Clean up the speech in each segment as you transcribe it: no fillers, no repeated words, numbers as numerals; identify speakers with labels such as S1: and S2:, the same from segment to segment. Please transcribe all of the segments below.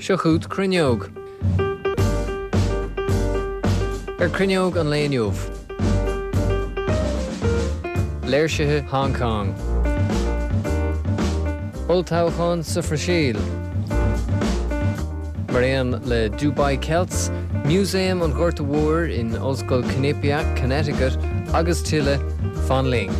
S1: Seo chugat Cruinneog. Ar Cruinneog an lae inniu. Léirsithe Hong Kong. Olltoghchán sa Bhrasaíl. Mar aon le Dubai Celts, Músaem an Ghorta Mhóir in Ollscoil Quinnipiac, Connecticut agus tuilleadh, fan linn.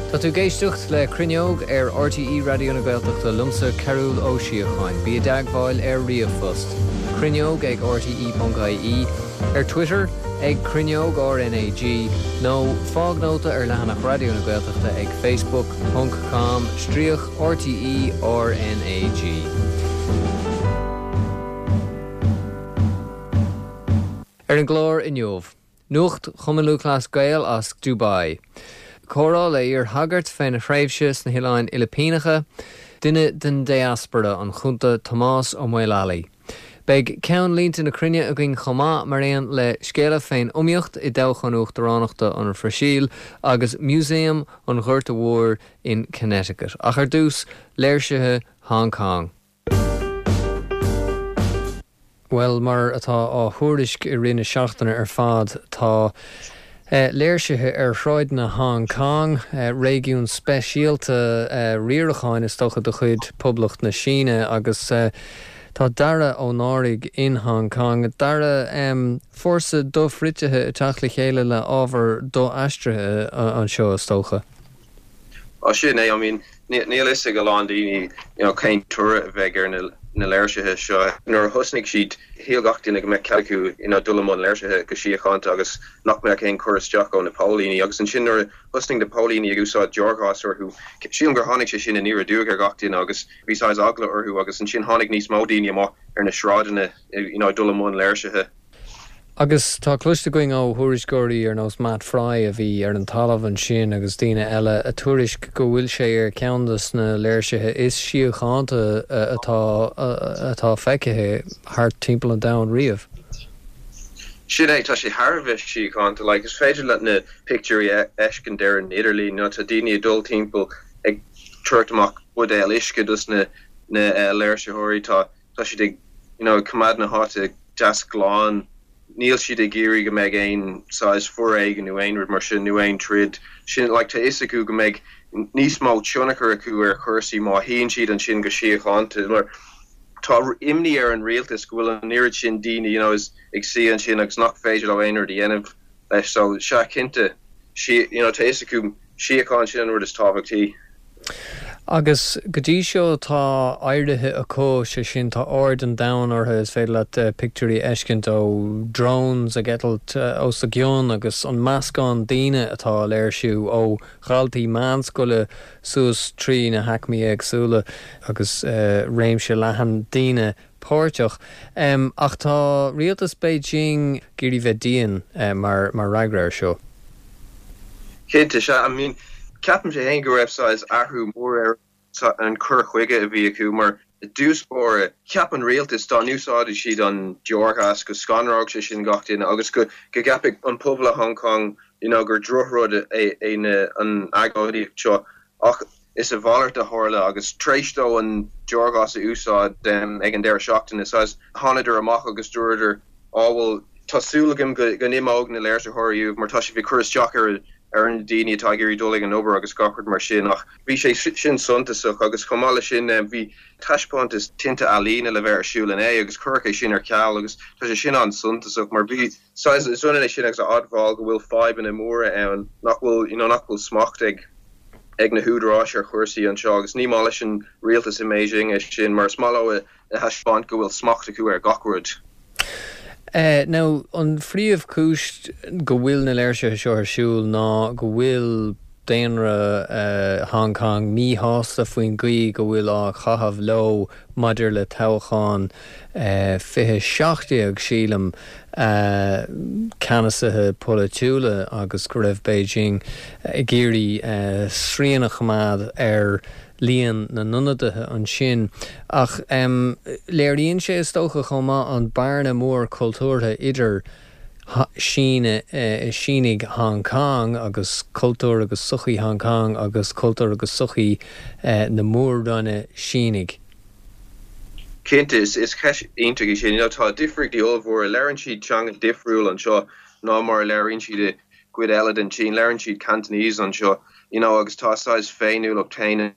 S1: Tá tú ag éisteacht le Cruinneog ar RTÉ Raidió na Gaeltachta liomsa Cearbhall Ó Síocháin. Bí i dteagmháil ar ríomhphost, cruinneog ag rte.ie, ar Twitter ag Cruinneog RnaG nó fág nóta ar leathanach Raidió na Gaeltachta ag facebook ponc com stríoc RTÉ RnaG. Ar an gclár inniu. Nuacht Chumann Lúthchleas Gael as Dubai. Comhrá le iar-shagart féna thréimhse sna hOileáin Fhilipíneacha. Duine den diaspora, an Cunta Tomás Ó Maolalaí. Beidh ceannlínte na cruinne againn chomh maith, mar aon le scéala fén iomaíocht i dtoghchán uachtaránachta an Bhrasaíl agus Músaem an Ghorta Mhóir in Connecticut. Ach ar dtús, léirsithe Hong Kong. Bhuel, mar atá á thuairisc i rith na seachtaine ar fad, tá léirsithe ar shráideanna Hong Kong, réigiún speisialta riaracháin is dócha de chuid Poblacht na Síne, agus tá Dara Ó Náraigh in Hong Kong. Dara, fórsa dofhritithe ag teacht le chéile le ábhar do-aistrithe anseo is dócha.
S2: Á sin é, I mean, níl fhios ag a lán daoine you know cén toradh a bheidh ar na na léirsithe seo. Nuair a thosnaigh siad, shíl gach duine go mbeadh cead acu you know dul i mbun léirsithe go síochánta agus nach mbeadh aon cur isteach ó na póilíní. Agus ansin nuair a thosnaigh na póilíní ag úsáid deorghás orthu, sílim gur tháinig sé sin aniar aduaidh ar gach duine agus bhí saghas eagla orthu agus ansin tháinig níos mó daoine amach ar na sráideanna you know ag dul i mbun léirsithe.
S1: Agus tá cloiste againn ó thuairisceoirí ar nós Matt Frei a bhí ar an talamh ansin agus daoine eile a tuairisc go bhfuil sé ar cheann de na léirsithe is síochánta atá atá feicthe thart timpeall an domhain riamh.
S2: Sin é, tá sé thar a bheith síochánta. Like, is féidir leat na pictiúirí a fheiscint ar an idirlíon, you know, tá daoine ag dul timpeall ag tabhairt amach buidéal uisce dos na na léirsitheoirí, tá Tá siad ag you know ag coimeád na háite deas glan. Níl siad ag iarraidh go mbeidh aon saghas foréigean nó aon rud mar sin nó aon troid. Sin like tá fhios acu go mbeidh níos mó tionchar acu ar chúrsaí má shuíonn siad ansin go síochánta mar tá imní ar an rialtas go bhfuil an oiread sin daoine you know is ag suí ansin agus nach féidir leo aon rud a dhéanamh leis so sea cinnte you know tá fhios acu síocháin sin an rud is tábhachtaí.
S1: Agus go dtí seo tá éirithe acu, sé sin tá aird an domhain orthu, is féidir leat pictiúirí a fheiscint ó drones ag eitilt os a gcionn agus an meascán daoine atá ag léirsiú ó dhaltaí meánscoile suas trí na haicmí éagsúla agus réimse leathan daoine páirteach. Ach tá rialtas Beijing ag iarraidh bheith dian mar fhreagra air seo.
S2: Cinnte, sea. I mean, ceapaimse féin go raibh saghas athrú mór ar an cur chuige a bhí acu mar i dtús báire, cheap an rialtas dá n-úsáidfeadh siad an deorghas go scanródh sé sin gach duine agus go gceapfadh an pobal i Hong Kong you know gur drochrud é an agóidíocht seo. Ach is a mhalairt a tharla agus tar éis dó an deorghás a úsáid ag an deireadh seachtaine, saghas, thánadar amach agus dúradar, Á bhuel, tá súil agam go n-imeoidh na léirsitheoirí uaibh mar tá sibh ag cur isteach ar ar na daoine atá ag iarraidh dul ag an obair agus gach rud mar sin. Ach bhí sé sin suntasach agus chomh maith leis sin bhí taispeántas tinte ealaíne le bheith ar siúl inné agus cuireadh é sin ar ceal agus tá sé sin an-suntasach mar bhí saghas, is ionann é sin agus a admháil go bhfuil fadhbanna móra ann, nach bhfuil, you know, nach bhfuil smacht ag, ag na húdaráis ar chúrsaí anseo agus ní maith leis an rialtas i mBeijing é sin mar is maith leo a thaispeáint go bhfuil smacht acu ar gach rud.
S1: Now, an phríomhchúis go bhfuil na léirsithe seo ar siúl ná go bhfuil daonra Hong Kong míshásta faoin gcaoi go bhfuil á chaitheamh leo maidir le toghchán 2017, sílim, ceannasaithe polaitiúla agus go raibh Beijing ag iarraidh srian a choimeád ar líon na n-ionadaithe ansin. Ach léiríonn sé, is dócha, chomh maith an bearna mór cultúrtha idir. Síne, Sínigh Hong Kong agus cultúr agus sochaí Hong Kong agus cultúr agus sochaí na Mór-Roinne Sínigh?
S2: Cinnte, is ceist iontach í sin. You know, tá difríochtaí ollmhóra. Labhrann siad teanga difriúil anseo ná mar a labhraíonn siad i gcuid eile den tSín. Labhrann siad Cantonese anseo, you know, agus tá a saghas féiniúlacht féin.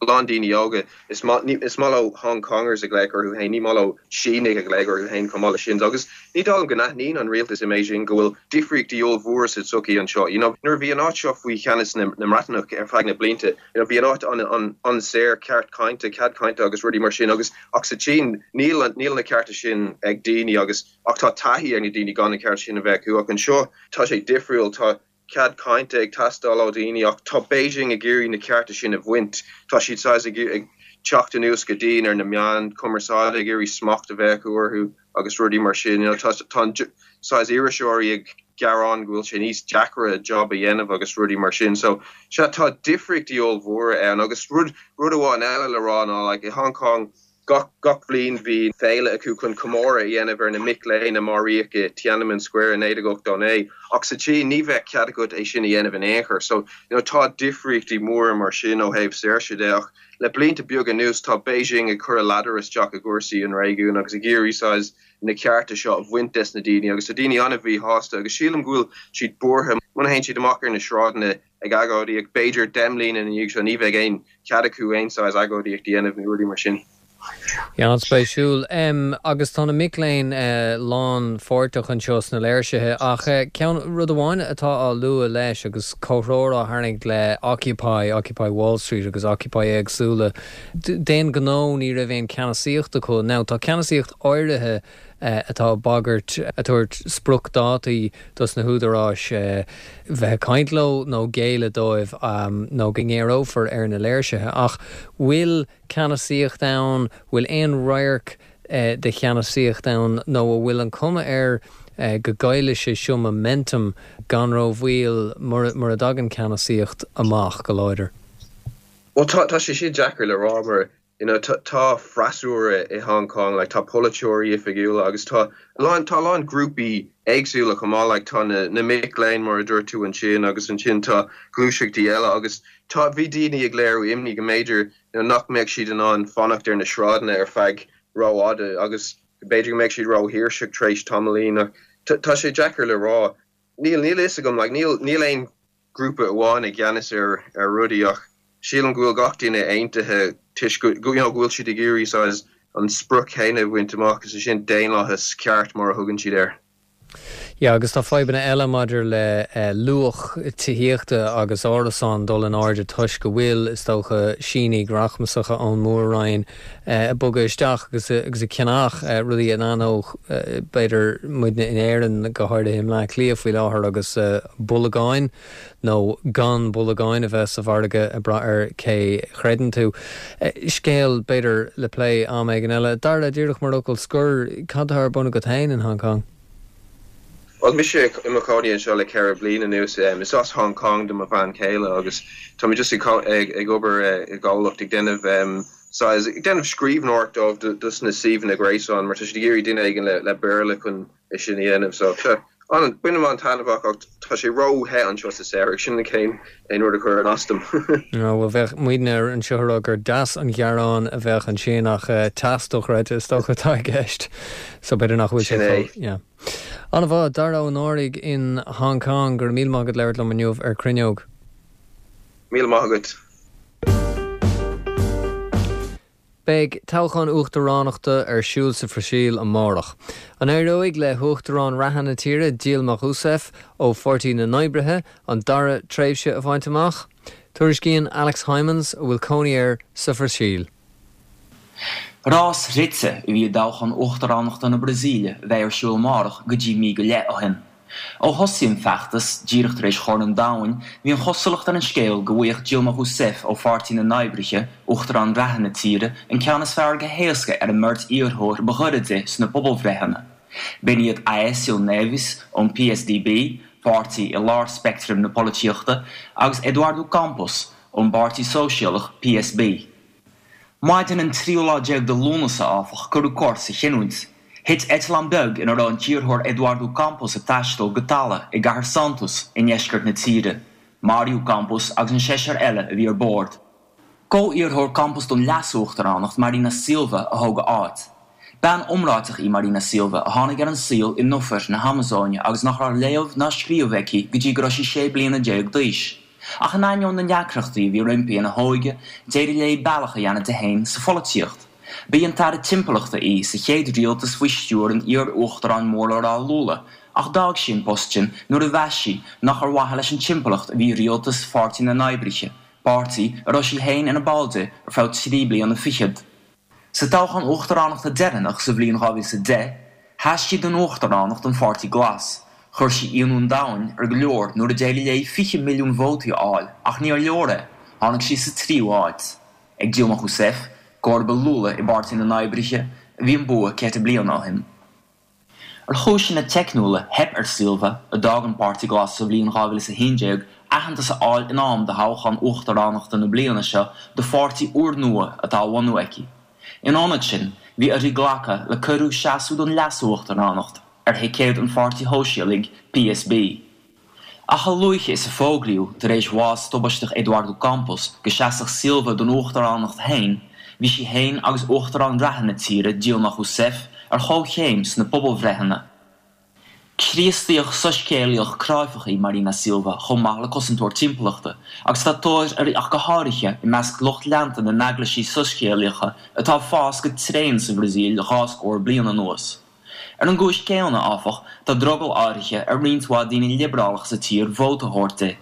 S2: A lán daoine óga, is maith is maith leo Hong Kongers a ghlaoch orthu féin, ní maith leo Sínigh a ghlaoch orthu féin chomh maith leis sin. Agus ní dóigh liom go n-aithníonn an rialtas i mBeijing go bhfuil difríochtaí ollmhóra sa tsochaí anseo. You know, nuair a bhí an áit seo faoi cheannas na na mBreatanach ar feadh na blianta, you know, bhí an áit an an an-saor, ceart cainte, cead cainte agus rudaí mar sin agus ach sa tSín níl níl na cearta sin ag daoine agus ach tá taithí ag na daoine gan na cearta sin a bheith acu ach anseo tá sé difriúil, tá cead cainte ag teastáil ó dhaoine ach tá Beijing ag iarraidh na cearta sin a bhaint. Tá siad saghas ag ag teacht anuas go dian ar na meáin chumarsáide, ag iarraidh smacht a bheith acu orthu agus rudaí mar sin. You know, tá tá an saghas iriseoirí ag gearán go bhfuil sé níos deacra job a dhéanamh agus rudaí mar sin. So sea, tá difríochtaí ollmhóra ann agus rud rud amháin eile le rá ná like i Hong Kong, Gach gach bhliain bhí féile acu chun comóradh a dhéanamh ar na mic léinn a maraíodh i Tiananmen Square i 1989 ach sa tSín ní bheadh cead agat é sin a dhéanamh in aon chor. So, you know, tá difríochtaí móra mar sin ó thaobh saoirse de ach le blianta beaga anuas tá Beijing ag cur a ladar isteach i gcúrsaí an réigiúin agus ag iarraidh saghas na cearta seo a bhaint des na daoine agus tá daoine an-mhíshásta agus sílim go bhfuil siad buartha muna théann siad amach ar na sráideanna ag agóidíocht, b'fhéidir 10 mbliana ina dhiaidh seo ní bheidh aon chead acu aon saghas agóidíocht a dhéanamh nó rudaí mar sin.
S1: An-spéisiúil. Agus tá na mic léinn lánpháirteach anseo sna léirsithe ach ceann, rud amháin atá á lua leis agus comhthreomhar á tharraingt le Occupy, Occupy Wall Street agus Occupy éagsúla, d'aon ghnó ní raibh aon ceannasaíocht acu. Now tá ceannasaíocht áirithe atá ag bagairt, ag tabhairt spriocdhátaí dos na húdaráis bheith ag caint leo nó géilleadh dóibh nó go ngéarófar ar na léirsithe. Ach bhfuil ceannasaíocht ann? Bhfuil aon radharc de cheannasaíocht ann nó a bhfuil an cuma air go gcaillfidh sé seo momentum gan rómhoill mura dtagann ceannasaíocht amach go láidir?
S2: Bhuel tá sé sin deacair le rá mar You know, tá freasúra i Hong Kong, like, tá polaiteoirí oifigiúla agus tá a lán, tá a lán grúpaí éagsúla chomh maith, like, tá na, na mic léinn mar a dúirt tú ansin agus ansin tá gluaiseachtaí eile agus tá, bhí daoine ag léiriú imní go mb'fhéidir, you know, nach mbeadh siad in ann fanacht ar na sráideanna ar feadh rófhada agus b'fhéidir go mbeadh siad róthuirseach tar éis tamaillín ach tá, tá sé deacair le rá. Níl, níl a fhios agam, like, níl, níl aon grúpa amháin i gceannas ar ar rudaí ach sílim go bhfuil gach duine aontaithe toisc go you know go bhfuil siad ag iarraidh saghas an sprioc chéanna a bhaint amach, is é sin daonlathas ceart mar a thugann siad air.
S1: Yeah agus tá fadhbanna eile maidir le luach tithíochta agus árasán dul in airde toisc go bhfuil, is dócha, Sínigh rachmasacha ón Mór-Roinn ag bogadh isteach agus agus ag ceannach rudaí a n-aithneodh b'fhéidir muidne in Éirinn, go háirithe i mBleá Cliath faoi láthair agus bolagáin nó gan bolagáin a bheith sa mhargadh ag brath ar cé chreideann tú. Scéal b'fhéidir le plé am éigin eile. Dara, díreach mar fhocal scoir, cad atá ar bun agat féin in Hong Kong?
S2: Bhuel, mise i mo chónaí anseo le 4 bliana anuas. Is as Hong Kong do mo bhean chéile agus tá mé just ag obair i gcomhlacht ag déanamh saghas, ag déanamh scríbhneoireacht dóibh dos na suíomhanna gréasáin mar tá siad ag iarraidh duine éigin le Béarla chun é sin a dhéanamh. So, sea, an, bainim an-taitneamh as ach tá sé ró-the anseo sa samhradh, sin an t-aon rud a chuireann as dom.
S1: Bhuel, bheadh muidne anseo ag rá gur deas an gearán a bheadh ansin ach teas dochreidte is dócha atá i gceist. So b'fhéidir nach bhfuil sé chomh, yeah. An-mhaith, Dara Ó Náraigh in Hong Kong, go raibh míle maith agat labhairt liom inniu ar Cruinneog.
S2: Míle maith agat.
S1: Beidh toghchán uachtaránachta ar siúl sa Bhrasaíl amárach. An éireoidh le huachtarán reatha na tíre, Dilma Rousseff ó Pháirtí na nOibrithe, an dara tréimhse a bhaint amach? Tuairiscíonn Alex Hijmans, a bhfuil cónaí air sa Bhrasaíl.
S3: Rás rite a bhí i dtoghchán uachtaránachta na Brasaíle a bheidh ar siúl amárach go dtí mí go leith ó shin. Ó thosaigh an feachtas, díreach tar éis Chorn an Domhain, bhí an chosúlacht ar an scéal go bhfaigheadh Dilma Rousseff ó Pháirtí na nOibrithe, uachtarán reatha na tíre, an ceann is fearr go héasca ar an mbeirt iarrthóir ba ghaire di sna pobalbhreitheanna. B'in iad Aécio Neves ón PSDB, páirtí i lár speictrim na polaitíochta, agus Eduardo Campos ón bPáirtí Sóisialach, PSB. Maidin an tríú lá déag de Lúnasa, áfach, cuireadh cor sa chinniúint. Thit eitleán beag ina raibh an t-iarrthóir Eduardo Campos ag taisteal go talamh i gcathair Santos i ndeisceart na tíre. Maraíodh Campos agus an seisear eile a bhí ar bord. Comh-iarrthóir Campos don leas-uachtaránacht, Marina Silva, a thóg a áit. Bean iomráiteach í Marina Silva, a tháinig ar an saol i ndufair na hAmazóine agus nach raibh léamh ná scríobh aici go dtí go raibh sí 16 bliana d'aois. Ach in ainneoin na ndeacrachtaí a bhí roimpi ina hóige, d'éirigh léi bealach a dhéanamh di féin sa pholaitíocht. Ba í an tAire Timpeallachta í sa chéad rialtas faoi stiúir an iar-uachtaráin mór le rá Lula, ach d'fhág sí an post sin nuair a mheas sí nach ar mhaithe leis an timpeallacht a bhí rialtas Pháirtí na nOibrithe, páirtí a raibh sí féin ina ball de ar feadh trí bliana fichead. Sa toghchán uachtaránachta deireanach sa bhliain 2010, sheas sí don uachtaránacht don Pháirtí Glas. Chuir sí ionadh an domhain ar go leor nuair a d'éirigh léi 20 milliún vótaí a fháil ach níor leor é, tháinig sí sa tríú háit. Ag Dilma Rousseff, comharba Lula i bPáirtí na nOibrithe, a bhí an bua ceithre bliana ó shin. Ar chúiseanna teicniúla, theip ar Silva, a d'fhág an Páirtí Glas sa bhliain 2011, aitheantas a fháil in am do thoghchán uachtaránachta na bliana seo do pháirtí úrnua atá á bhunú aici. In ionad sin, bhí uirthi glacadh le cuireadh seasamh don leas-uachtaránacht ar thicéad an Pháirtí Shóisialaigh, PSB. Ach a luaithe is a fógraíodh tar éis bhás tubaisteach Eduardo Campos go seasfadh Silva don uachtaránacht féin, bhí sí féin agus uachtarán reatha na tíre, Dilma Rousseff, ar chomhchéim sna pobalbhreitheanna. Críostaíoch soiscéalaíoch cráifeach í Marina Silva chomh maith le cosantóir timpeallachta, agus tá tóir uirthi ach go háirithe i measc lucht leanta na n-eaglaisí soiscéalaíocha atá ag fás go tréan sa Bhrasaíl dhá scór bliain anuas. Ar an gcúis chéanna, áfach, tá drogall áirithe ar roinnt mhaith daoine liobrálacha sa tír vóta a thabhairt di.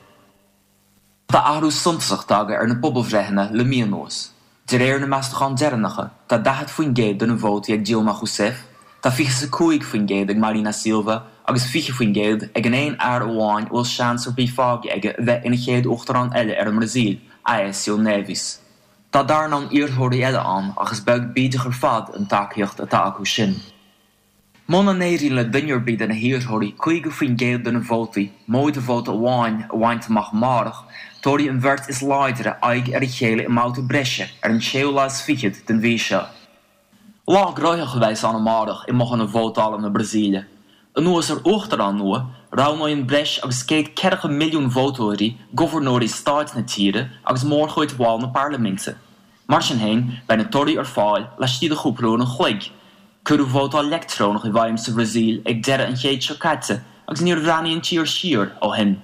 S3: Tá athrú suntasach tagtha ar na pobalbhreitheanna le mí anuas. De réir na meastachán deireanacha, tá 40% de na vótaí ag Dilma Rousseff, tá 25% ag Marina Silva agus 20% ag an aon fhear amháin a bhfuil seans ar bith fágtha aige a bheith ina chéad uachtarán eile ar an mBrasaíl, Aécio Neves. Tá dornán iarrthóirí eile ann ach is beag bídeach ar fad an tacaíocht atá acu sin. Muna n-éiríonn le duine ar bith de na hiarrthóirí 50% de na vótaí, móide vóta amháin, a bhaint amach amárach, tabharfaidh an bheirt is láidre aghaidh ar a chéile i mbabhta breise ar an séú lá is fichead den mhí seo. Lá gnóthach a bheas ann amárach i mbothanna vótála na Brasaíle. Anuas ar uachtarán nua, roghnóidh an breis agus 140 milliún vótóirí gobharnóirí stáit na tíre agus mórchuid bhaill na parlaiminte. Mar sin féin, beidh na torthaí ar fáil laistigh de chúpla uair an chloig. Cuireadh vótáil leictreonach i bhfeidhm sa Bhrasaíl ag deireadh an chéid seo caite agus níor bhreathnaigh an tír siar ó shin.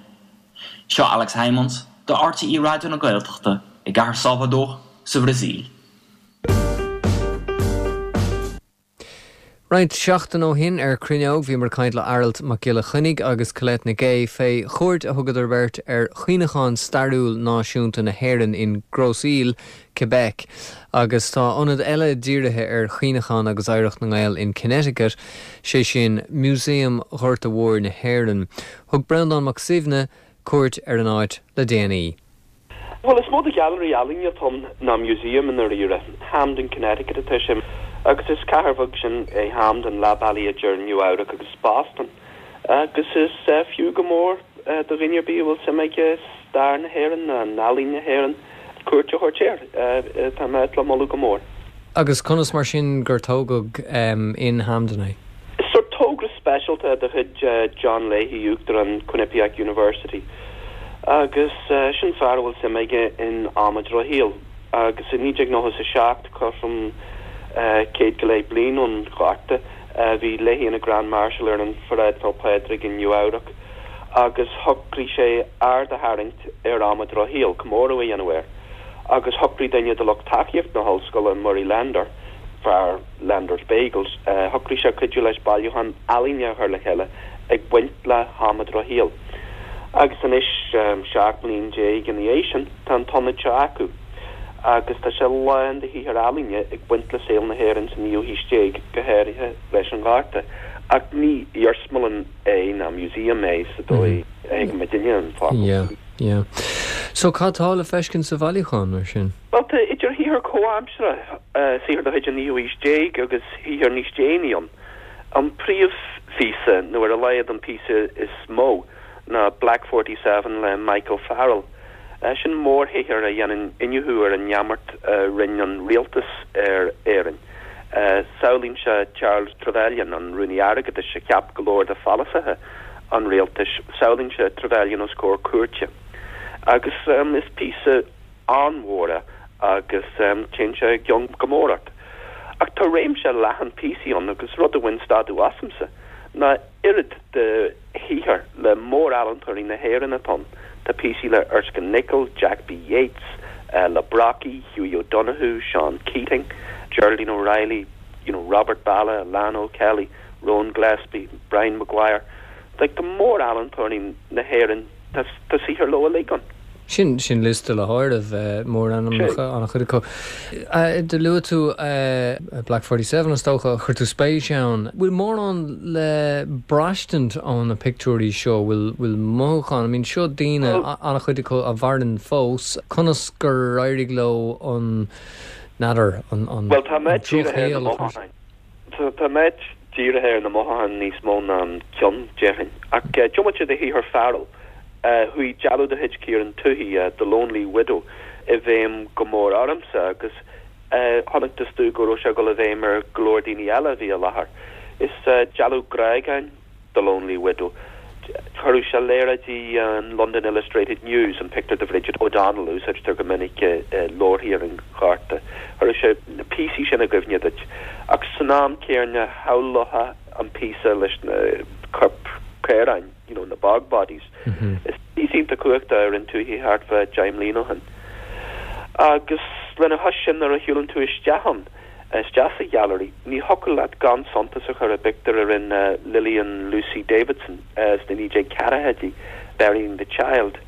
S3: Seo Alex Hijmans, do RTÉ Raidió na Gaeltachta, i gcathair Salvador, sa Bhrasaíl.
S1: Roinnt seachtain ó shin ar Cruinneog bhíomar ag caint le Aralt Mac Giolla Chainnigh agus Colette Nic Aoidh fé chuairt a thugadar beirt ar Chuimhneachán Stairiúil Náisiúnta na hÉireann in Grosse Ile, Quebec. Agus tá ionad eile dírithe ar chuimhneachán agus oidhreacht na nGael in Connecticut, sé sin Músaem Ghorta Mhóir na hÉireann. Thug Breandán Mac Suibhne cuairt ar an áit le déanaí.
S4: Bhuel, is mó de ghailearaí ealaíne atá ann ná museum i ndáiríre. Hamden, Connecticut atá sé agus is cathair bheag sin é Hamden, leath bealaigh idir Nua Eabhrac agus Boston. Agus is fiú go mór do dhuine ar bith a bhfuil suim aige i stair na hÉireann nó in ealaín na hÉireann cuairt a thabhairt air. Tá mé le moladh go mór.
S1: Agus conas mar sin gur tógadh in Hamden é?
S4: Is sórt togra speisialta de chuid John Leahy, Uachtarán Quinnipiac University, agus sin fear a bhfuil suim aige in am an Drochshaoil, agus i 1997, cothrom céad go leith bliain ón Ghorta, bhí Leahy ina Grand Marshal ar an pharáid Féil' Pádraig i Nua Eabhrac agus shocraigh sé aird a tharraingt ar am an Drochshaoil, comóradh a dhéanamh air, agus shocraigh duine de lucht tacaíochta na hollscoile, Murray Lender, fear Lender's Bagels, shocraigh sé cuidiú leis bailiúchán ealaíne a chur le chéile ag baint le ham an Drochshaoil. Agus anois, 17 mbliain ina dhiaidh sin, tá an t-ionad seo acu agus tá sé lán de shaothair ealaíne ag baint le saol na hÉireann sa naoú haois déag, go háirithe leis an Ghorta. Ach ní iarsmalann é ná museum é sa dóigh a thuigeann muidinne an focal.
S1: Yeah, yeah. So cad tá le feiscint sa bhailiúchán, mar sin?
S4: Bhuel, tá idir shaothar comhaimseartha, saothar de chuid an naoú haois déag agus shaothar níos déanaí ann. An príomhphíosa, nó ar a laghad an píosa is mó, ná Black 47 le Michael Farrell. Sin mórshaothar a dhéanann iniúchadh ar an neamart a rinne an rialtas ar Éirinn. Samhlaíonn sé Charles Trevelyan, an Rúnaí Airgeadais a cheap go leor de pholasaithe an rialtais, samhlaíonn sé Trevelyan os comhair cúirte. Agus is píosa an-mhór é agus téann sé i gcion go mór ort. Ach tá réimse leathan píosaí ann agus rud a bhain stadadh asamsa ná oiread de shaothar le mór-ealaíontóirí na hÉireann atá ann. Tá píosaí le Erskine Nicol, Jack B. Yeats, le Brockie, Hughie O'Donoghue, Seán Keating, Geraldine O'Reilly, you know, Robert Ballagh, Alanna O'Kelly, Rowan Gillespie, Brian Maguire. Like, tá mór-ealaíontóirí na hÉireann, tá saothar leo uilig ann.
S1: Sin, sin liosta le háireamh, mórainmneacha an-chuid acu. Do luaigh tú Black 47, is dócha, chuir tú spéis ann. Bhfuil mórán le braistint ó na pictiúirí seo? Bhfuil, bhfuil mothúcháin, I mean seo daoine, an-chuid acu a mhaireann fós, conas gur éirigh leo an, n'fheadar, an, an
S4: Bhuel, tá mé dírithe ar na mothúcháin. Tá mé dírithe ar na mothúcháin níos mó ná an cion, déarfainn. Ach diomaite de shaothar Farrell, chuaigh dealbh de chuid Kieran Tuohy, The Lonely Widow, i bhfeidhm go mór ormsa agus chonacthas domh go raibh sé ag dul i bhfeidhm ar go leor daoine eile a bhí i láthair. Is dealbh grágáin. The Lonely Widow. Chuireadh sé léaráidí an London Illustrated News, an pictiúr de Bhridget O'Donnell a úsáidtear go minic i leabharthaí ar an Ghorta, chuireadh sé na píosaí sin i gcuimhne duit. Ach san am céanna, shamhlófá an píosa leis na coirp caoráin, you know, na bog bodies. Is píosa iontach cumhachtach a rinne Tuohy thart fá 10 mbliana ó shin. Agus lena chois sin, nuair a shiúlann tú isteach ann, isteach sa ghailearaí. Ní thiocfadh leat gan suntas a chur i bpictiúr a rinne Lillian Lucy Davidson sna 1940idí, Burying the Child.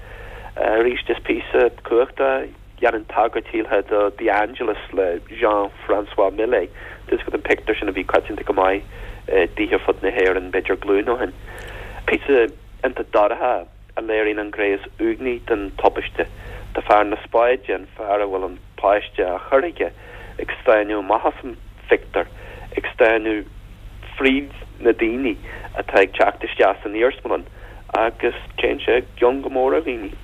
S4: Arís is píosa cumhachtach é, dhéanann tagairt shílfeá do The Angelus le Jean Francois Millet, tá fhios agat an pictiúr sin a bhí coitianta go maith i dtithe ar fud na hÉireann b'fhéidir glúin ó shin. Píosa iontach dorcha é. a léiríonn an ghné is uaigní den tubaiste. Tá fear na spáide, an fear a bhfuil an páiste á chur aige, ag stánadh amach as an phictiúr, ag stánadh fríd na daoine atá ag teacht isteach san iarsmalann agus téann sé i gcion go mór ar dhaoine.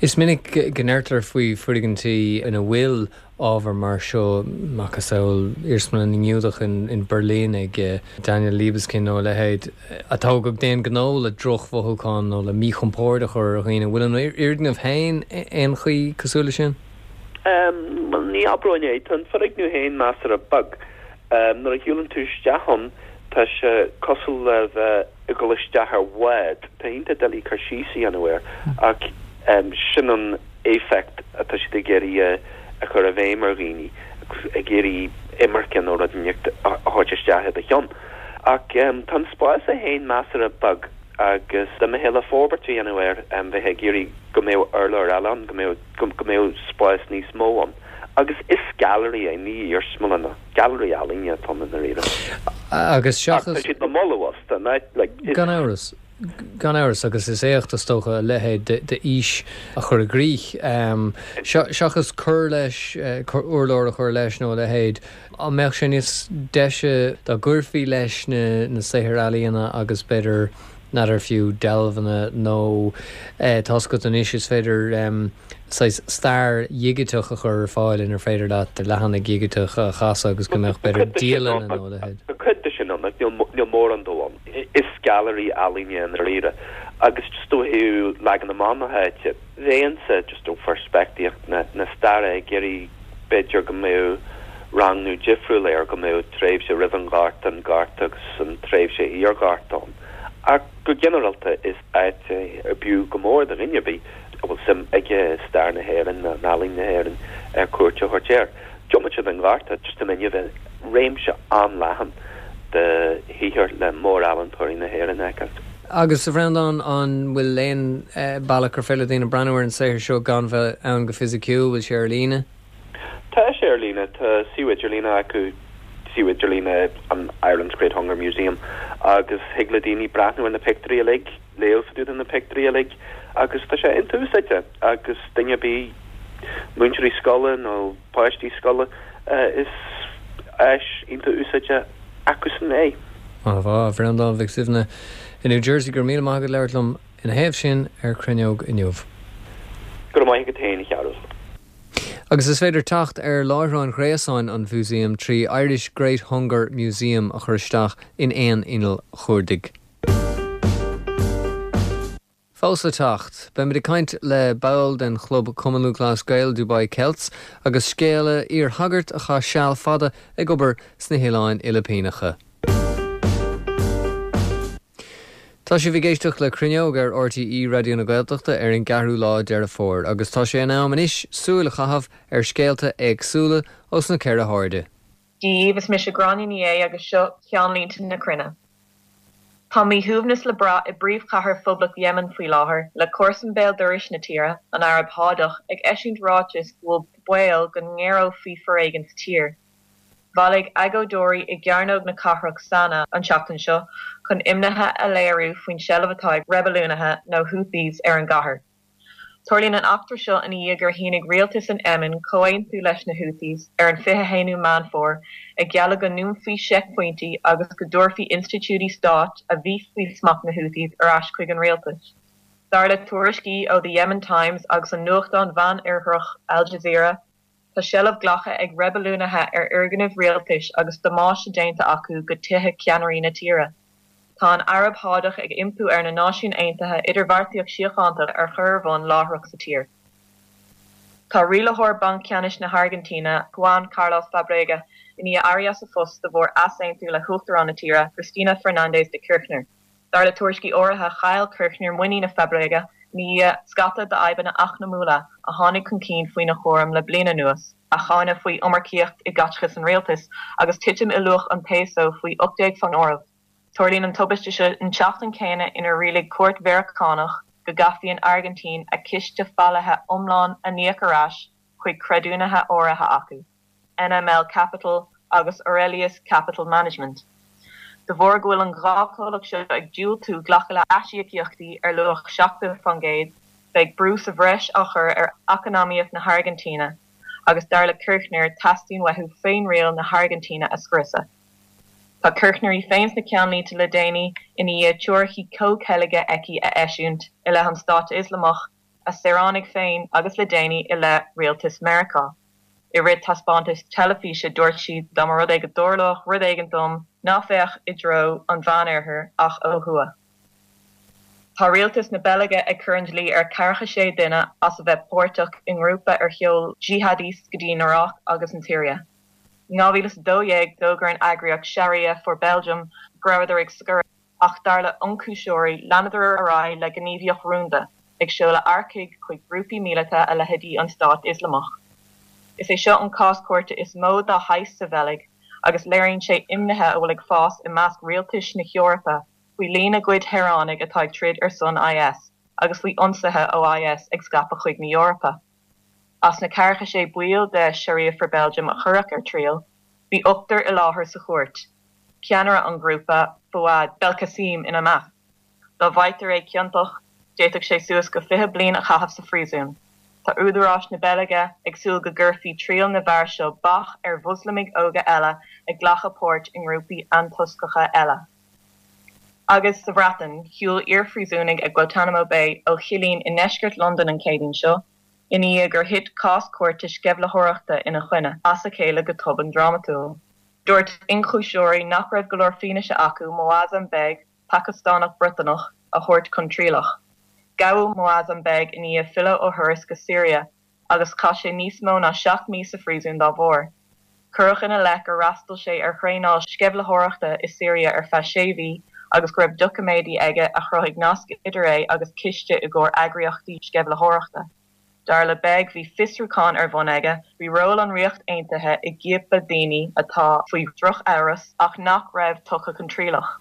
S1: Is minic go ndeirtear faoi foirgintí ina bhfuil ábhar mar seo, macasamhail Iarsmalann na nGiúdach in Berlin ag Daniel Libeskind nó a leithéid, a tógadh d'aon ghnó le drochmhothúcháin nó le míchompord a chur ar dhaoine. Bhfuil an fhoirgneamh féin aon chaoi cosúil leis sin?
S4: Bhuel, ní abróinn é. Tá an foirgneamh féin measartha beag. Nuair a shiúlann tú isteach ann, tá sé cosúil le bheith ag dul isteach ar bhád. Tá iontach doiligh cur síos a dhéanamh air, ach sin an éifeacht atá siad ag iarraidh a chur i bhfeidhm ar dhaoine, ag iarraidh imirce nó rud inteacht a thabhairt isteach i do cheann. Ach tá an spás é féin measartha beag agus dá mbeifeá le forbairt a dhéanamh air, bheifeá ag iarraidh go mbeadh urlár eile ann, go mbeadh go mbeadh spás níos mó ann. Agus is gailearaí é, ní iarsmalann é. Gailearaí ealaíne atá ann i ndáiríre.
S1: Agus seachas.
S4: Ach tá siad le moladh fosta, like,
S1: is. Gan amhras. Gan amhras, agus is éacht, is dócha, a leithéid d'fhís a chur i gcrích. Seachas cur leis, urlár a chur leis nó a leithéid, an mbeadh sé níos deise dá gcuirfí leis na saothair ealaíona agus b'fhéidir, n'fheadar, fiú dealbhanna nó tá's agat anois is féidir saghas stair dhigiteach a chur ar fáil inar féidir leat leathanaigh dhigiteacha a chasadh agus go mbeadh b'fhéidir dialanna nó a leithéid.
S4: Tá cuid de sin ann, ach níl mórán dó ann. Is gailearaí ealaíne i ndáiríre agus just ó thaobh leagan amach na háite, bheinnse just ó pheirspictíocht na staire ag iarraidh b'fhéidir go mbeadh rangnú difriúil air, go mbeadh tréimhse roimh an Ghorta, an Gorta agus an tréimhse iarGhorta ann. Ach go ginearálta is áit é ar b'fhiú go mór do dhuine ar bith a bhfuil suim aige i stair na hÉireann nó in ealaín na hÉireann cuairt a thabhairt air. Diomaite den Ghorta, just an inniu, réimse an-leathan de shaothair le mór-ealaíontóirí na hÉireann a fheiceáil.
S1: Agus, a Bhreandáin, an bhfuil aon bealach gur féidir le daoine breathnú ar an saothar seo gan bheith ann go fisiciúil? Bhfuil sé ar líne?
S4: Tá sé ar líne. Tá suíomh idirlíne acu, suíomh idirlíne an Ireland's Great Hunger Museum, agus thig le daoine breathnú ar na pictiúirí uilig. léamh fá dtaobh de na pictiúirí uilig agus tá sé iontach úsáideach agus duine ar bith, múinteoirí scoile nó páistí scoile, is áis iontach úsáideach acusan é.
S1: An-mhaith, a Bhreandáin Mhic Suibhne i New Jersey, go raibh míle maith agat labhairt liom ina thaobh sin ar Cruinneog inniu.
S4: Go raibh maith agat féin, a Chearbhaill.
S1: Agus is féidir teacht ar láithreán ghréasáin an mhúsaeim trí Irish Great Hunger Museum a chur isteach in aon inneall chuardaigh. Fós le teacht, beimid ag caint le ball den chlub Cumann Lúthchleas Gael Dubai Celts agus scéala iar-shagairt a chaith seal fada ag obair sna hOileáin Fhilipíneacha. Tá sibh ag éisteacht le Cruinneog ar RTÉ Raidió na Gaeltachta ar an gceathrú lá Deireadh Fómhair agus tá sé in am anois súil a chaitheamh ar scéalta éagsúla ós na ceithre hairde.
S5: Dia dhaoibh, is mise Gráinne Ní Aodha agus seo ceannlínte na cruinne. Tá míshuaimhneas le brath i bpríomhchathair Phoblacht Yemen faoi láthair, le comharsan béal dorais na tíre, an Araib Shádach, ag eisiúint ráiteas go bhfuil baol go ngéarófaí foréigean sa tír. Bhailigh agóideoirí i gcearnóg na cathrach Sanaa an tseachtain seo chun imnithe a léiriú faoin seilbh atá ag reibiliúnaithe nó Houthis ar an gcathair. Tarlaíonn an eachtra seo ina dhiaidh gur shínigh rialtas an Yemen comhaontú leis na Houthis ar an 21ú Meán Fómhair, ag gealladh go ndúnfaí seicphointí agus go dtabharfaí institiúidí stáit a bhí faoi smacht na Houthis ar ais chuig an rialtas. Dar le tuairiscí ó The Yemen Times agus an nuachtán Mheánoirthearach Al Jazeera, Tá seilbh glactha ag reibiliúnaithe ar fhoirgnimh rialtais agus damáiste déanta acu go tithe ceannairí na tíre. Tá an Araib Shádach ag impú ar na Náisiúin Aontaithe idirbheartaíocht síochánta a chur ar bhun láithreach sa tír. Tá rialaitheoir Banc Ceannais na hAirgintíne, Juan Carlos Fábrega, i ndiaidh éirí as a phost de bharr easaontú le huachtarán na tíre, Cristina Fernández de Kirchner. Dar le tuairiscí áirithe, chaill Kirchner muinín i Fábrega i ndiaidh scata d'fhadhbanna eacnamúla a tháinig chun cinn faoina chúram le bliain anuas, a cháineadh faoi iomarcaíocht i gcaiteachas an rialtais agus titim i luach an peso faoi 18 san áireamh. Tarlaíonn an tubaiste seo an tseachtain chéanna inar rialaigh cúirt Mheiriceánach go gcaithfí an Airgintín a ciste faillithe iomlán a n-íoc ar ais chuig creidiúnaithe áirithe acu. NML Capital agus Aurelius Capital Management. De bharr go bhfuil an dá chomhlacht seo ag diúltú glacadh le aisíocaíochtaí ar luach 70%, beidh brú sa bhreis á chur ar eacnamaíocht na hAirgintíne agus dar le Kirchner teastaíonn uathu féinriail na hAirgintíne a scriosadh. Tá Kirchner í féin sna ceannlínte le déanaí i ndiaidh teoiricí comhcheilge aici a eisiúint i leith an Stáit Ioslamach, a saoránaigh féin agus le déanaí i leith rialtas Meiriceá. I rith taispeántais teilifíse dúirt sí dá mba rud é go dtarlódh rud éigin dom, ná féach i dtreo an Mheánoirthir ach ó thuaidh. Tá rialtas na Beilge ag cur an dlí ar ceathracha sé duine as a bheith páirteach i ngrúpa ar sheol jihadists go dtí an Iaráic agus an tSiria. In 2012 d'fhógair an eagraíocht Sharia for Belgium go rabhadar ag scoradh. Ach dar le hionchúisitheoirí, leanadar ar aghaidh le gníomhaíocht rúnda, ag seoladh earcaigh chuig grúpaí míleata a leithéidí an Stát Ioslamach. Is é seo an cás cúirte is mó dá shaghas sa Bheilg agus léiríonn sé imnithe a bhfuil ag fás i measc rialtais na hEorpa faoi líon a gcuid shaoránaigh atá ag troid ar son IS agus faoi ionsaithe ó IS ag scaipeadh chuig na hEorpa. As na ceathracha sé baill de Sharia for Belgium a cuireadh ar triail, bhí ochtar i láthair sa chúirt. ceannaire an ghrúpa, Fouad Belkacem, ina measc. Dá bhfaightear é ciontach, d'fhéadfadh sé suas go 20 bliain a chaitheamh sa phríosún. Tá údaráis na Beilge ag súil go gcuirfí triail na bhfear seo bac ar Mhoslamaigh óga eile ag glacadh páirt i ngrúpaí antoisceacha eile. Agus sa Bhreatain, shiúil iarphríosúnaigh ag Guantanamo Bay ó chillín i ndeisceart Londan an Chéadaoin seo, i ndiaidh gur thit cás cúirte sceimhlitheoireachta ina choinne as a chéile go tobann drámatúil. Dúirt ionchúisitheoirí nach raibh go leor fianaise acu Moazzam Begg, Pacastánach Briotanach, a thabhairt chun trialach. Gabhadh Moazzam Begg i ndiaidh filleadh ó thuras go Siria agus chaith sé níos mó ná 7 mí sa phríosún dá bharr. Cuireadh ina leith gur fhreastail sé ar thraenáil sceimhlitheoireachta i Siria ar feadh sé mhí agus go raibh doiciméidí aige a chruthaigh nasc idir é agus ciste i gcomhair eagraíochtaí sceimhlitheoireachta. Dar le Begg, bhí fiosrúchán ar bhun aige faoi ról an Ríocht Aontaithe i gciapadh daoine atá faoi dhrochamhras ach nach raibh tugtha chun trialach.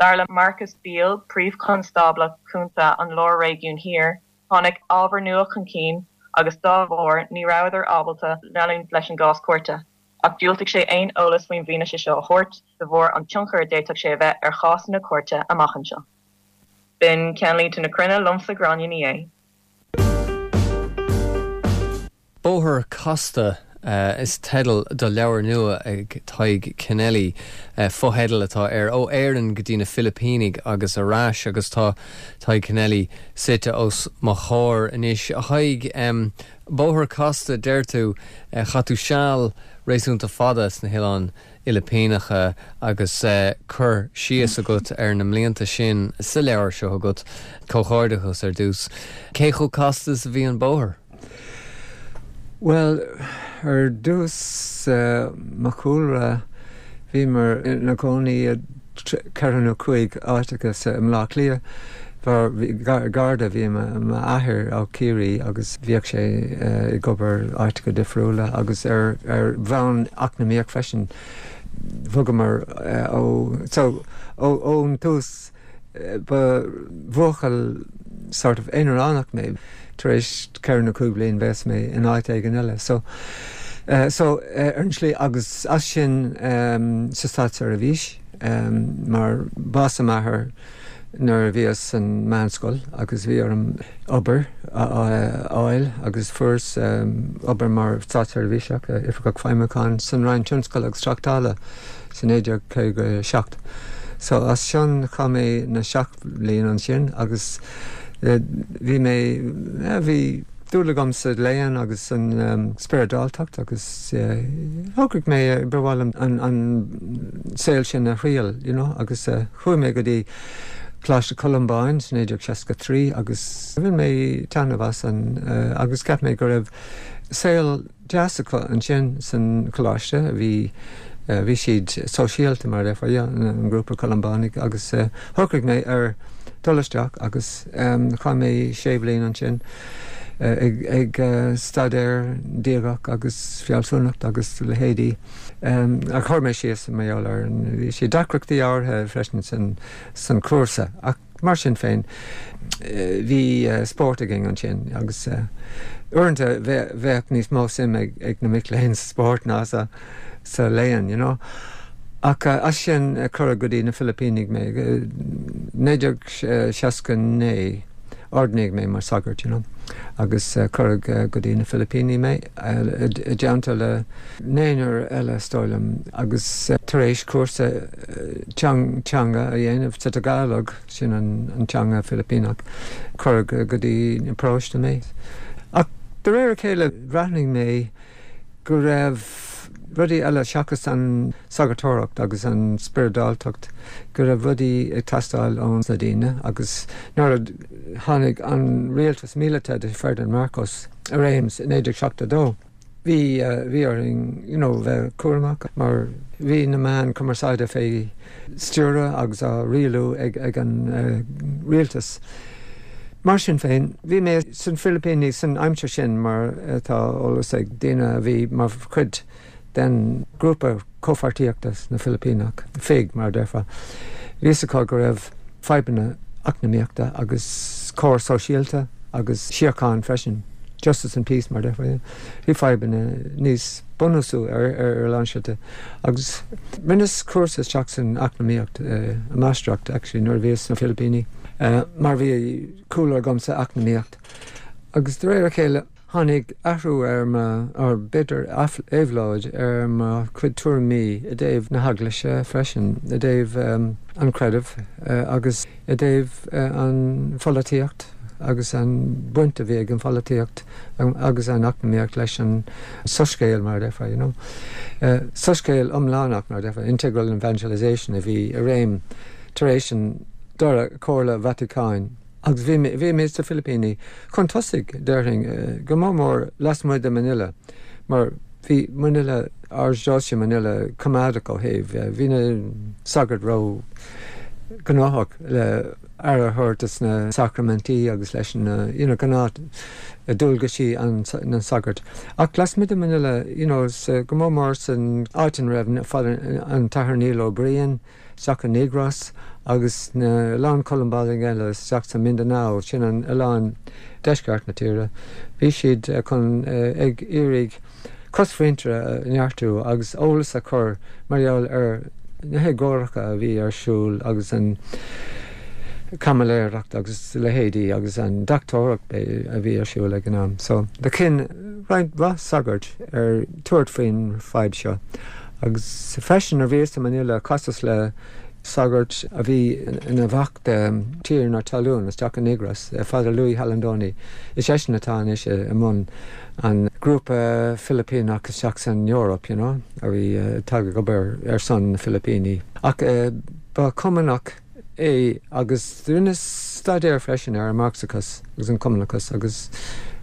S5: Dar le Marcus Beale, Príomh-Chonstábla Cúnta an Lár-Réigiúin Thiar, tháinig ábhar nua chun cinn agus dá bharr ní rabhadar ábalta leanúint leis an gcás cúirte. Ach dhiúltaigh sé aon eolas faoin bhfianaise seo a thabhairt de bharr an tionchar a d'fhéadfadh sé a bheith ar chásanna cúirte amach anseo. B'in Ceannlínte na Cruinne liomsa Gráinne Ní Aodha.
S1: Bóthar Casta is teideal do leabhar nua ag Tadhg Kennelly. Fotheideal atá air, Ó Éirinn go dtí na Filipínigh agus ar ais agus tá Tadhg Kennelly suite os mo chomhair anois. A Thaidhg, Bóthar casta, deir tú. Chaith tú seal réasúnta fada sna hOileáin Fhilipíneacha agus cur síos agat ar na mblianta sin sa leabhar seo agat. Comhghairdeachas ar dtús. Cé chomh casta is a bhí an bóthar?
S6: Bhuel, ar dtús, mo chúlra, bhíomar ina gcónaí i ceithre nó cúig áiteacha sa i mBleá Cliath. Garda a bhí i m'athair ó Chiarraí agus bhíodh sé ag obair áiteacha difriúla agus ar ar bhonn eacnamaíoch freisin bhogamar ó so ón tús Ba bhuachaill sort of aonaránach mé. Tar éis ceithre nó cúig bliain bheas mé in áit éigin eile. So, so ar an tslí agus as sin sa státseirbhís mar bás m'athar nuair a bhíos san meánscoil agus bhí orm obair a fháil agus fuaireas obair mar státseirbhíseach, Oifigeach Feidhmiúcháin san Roinn Tionscail agus Tráchtála. sa 1957. So as sin chaith mé na seacht mbliain ansin agus bhí mé, bhí dúil agam sa léann agus san spioradáltacht agus shocraigh mé ba mhaith liom an saol sin a thriail, you know, agus chuaigh mé go dtí Coláiste Columbáin sa 1963 agus bhain mé taitneamh as an agus cheap mé go raibh saol deas acu ansin san choláiste. Bhí bhí siad sóisialta mar a déarfá, yeah, an grúpa Columbánaigh agus shocraigh mé ar dul isteach agus chaith mé sé bhliain ansin ag ag staidéar diagacht agus fealsúnacht agus leithéidí. Ach chuir mé síos mar gheall ar bhí sé deacrachtaí áirithe freisin san san cúrsa ach Mar sin féin, bhí spórt againn ansin agus uaireanta bheadh níos mó suim ag na mic léinn sa spórt ná sa léann, you know. Ach as sin cuireadh go dtí na Filipínigh mé. 1969 ordnaíodh mé mar sagart, you know, agus cuireadh go dtí na Filipíní mé i dteannta le naonúr eile, is dóigh liom, agus tar éis cúrsa teanga a dhéanamh sa Tagalog, sin an teanga Filipíneach, cuireadh go dtí an paróiste mé. Ach de réir a chéile bhreathnaigh mé go raibh rudaí eile seachas an sagartóireacht agus an spioradáltacht, go raibh rudaí ag teastáil ó na daoine agus nuair a tháinig an rialtas míleata de Ferdinand Marcos i réim i 1972, Bhí, bhí orainn, you know, bheith cúramach mar bhí na meáin cumarsáide fé stiúradh agus á rialú ag, ag an rialtas. Mar sin féin, bhí mé san Philipíní san aimsir sin mar atá eolas ag daoine a bhí mar chuid den ghrúpa comhpháirtíochta na Filipíneach, FIG mar a déarfá. Bhí fhios acu go raibh fadhbanna eacnamaíochta agus cóir sóisialta agus síocháin freisin, justice and peace mar a déarfá. Bhí fadhbanna níos bunúsaí ar a lán slite agus rinneas cúrsa isteach san eacnamaíocht, máistreacht actually nuair a bhíos sna Filipíní mar bhí cúlra agam sa eacnamaíocht agus de réir a chéile, Tháinig athrú ar mo, or b'fhéidir éabhlóid ar mo chuid tuairimí i dtaobh na hEaglaise freisin, i dtaobh an chreidimh agus i dtaobh an pholaitíocht agus an bhaint a bhí ag an pholaitíocht agus an eacnamaíocht leis an soiscéal, mar a déarfá, you know. Soiscéal iomlánach, mar a déarfá, integral evangelization a bhí i réim tar éis an Dara Comhairle Vatacáin. Agus bhí mé, bhí mé sna Filipíní chun tosaigh, déarfainn, go mór mór lasmuigh de Manila, mar bhí Manila, Archdiocese Manila coimeádach ó thaobh, bhí na sagairt ró ghnóthach le aire a thabhairt dos na sacraimintí agus leis na, you know, gnáth dualgaisí an, na sagart. Ach lasmuigh de Manila, you know, sa, go mór mór san áit ina raibh Father, an tAthair Neil Ó Briain, isteach i Negros agus a lán Columbánaigh eile isteach sa Mindanao, sin an oileán deisceart na tíre. Bhí siad chun ag iarraidh cosmhuintire a neartú agus eolas a chur mar gheall ar na héagóracha a bhí ar siúl agus an caimiléireacht agus leithéidí agus an deachtóireacht a bhí ar siúl ag an am. So do chinn roinnt mhaith sagart ar tabhairt faoin fadhb seo. Agus freisin nuair a bhíos i Manila chasas le sagart a bhí ina mhac de tiarna talún isteach i Negros, Father Louis Jalandoni. Is eisean atá anois i mbun an grúpa Filipíneach isteach san Eoraip, you know, a bhí atá ag obair ar son na Filipíní. Ach ba Chumannach é agus rinne staidéar freisin ar an Marxachas agus an Cumannachas agus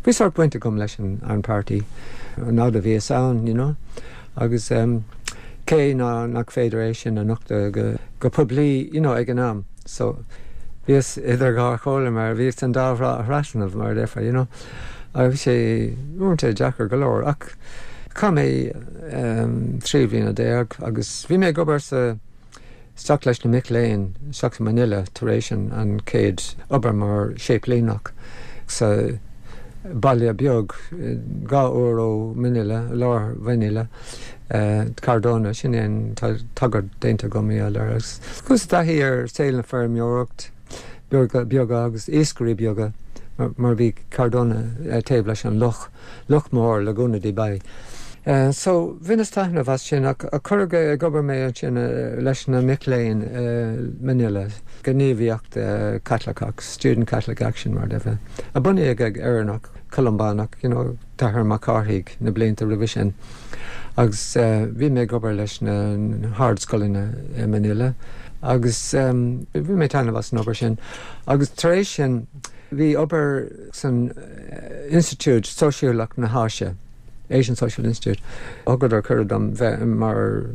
S6: bhí sórt baint agam leis an páirtí an fhad a bhíos ann, you know. Agus cé ná nach féidir é sin a nochtadh go poiblí, you know, ag an am. So bhíos idir dhá chomhairle mar bhíos an dá thrá a thrasnú mar a déarfá, you know. Agus bhí sé uaireanta deacair go leor ach chaith mé 13 bhliana agus bhí mé ag obair sa isteach leis na mic léinn isteach i Manila tar éis an chéad obair mar séiplíneach sa baile beag 2 uair ó Manila, lár Mhanila, Cardona, sin é an tagairt déanta agam air agus chuas i dtaithí ar saol na feirmeoireacht beaga agus iascairí beaga mar bhí Cardona taobh leis an loch. Loch Mór, Laguna de Bay. So, bhaineas taitneamh as sin ach cuireadh ag obair mé ansin leis na mic léinn i Manila, gníomhaíocht Caitliceach, Student Catholic Action mar a déarfá, a bunaíodh ag Éireannach, Columbánach, you know, tAthair Mac Cárthaigh na blianta roimhe sin. Agus bhí mé ag obair leis na hardscoileanna i Manila agus bhain mé taitneamh as an obair sin. Agus tar éis sin, Bhí obair san Institiúid Sóisialach na hÁise, Asian Social Institute, thugadar cuireadh dom bheith mar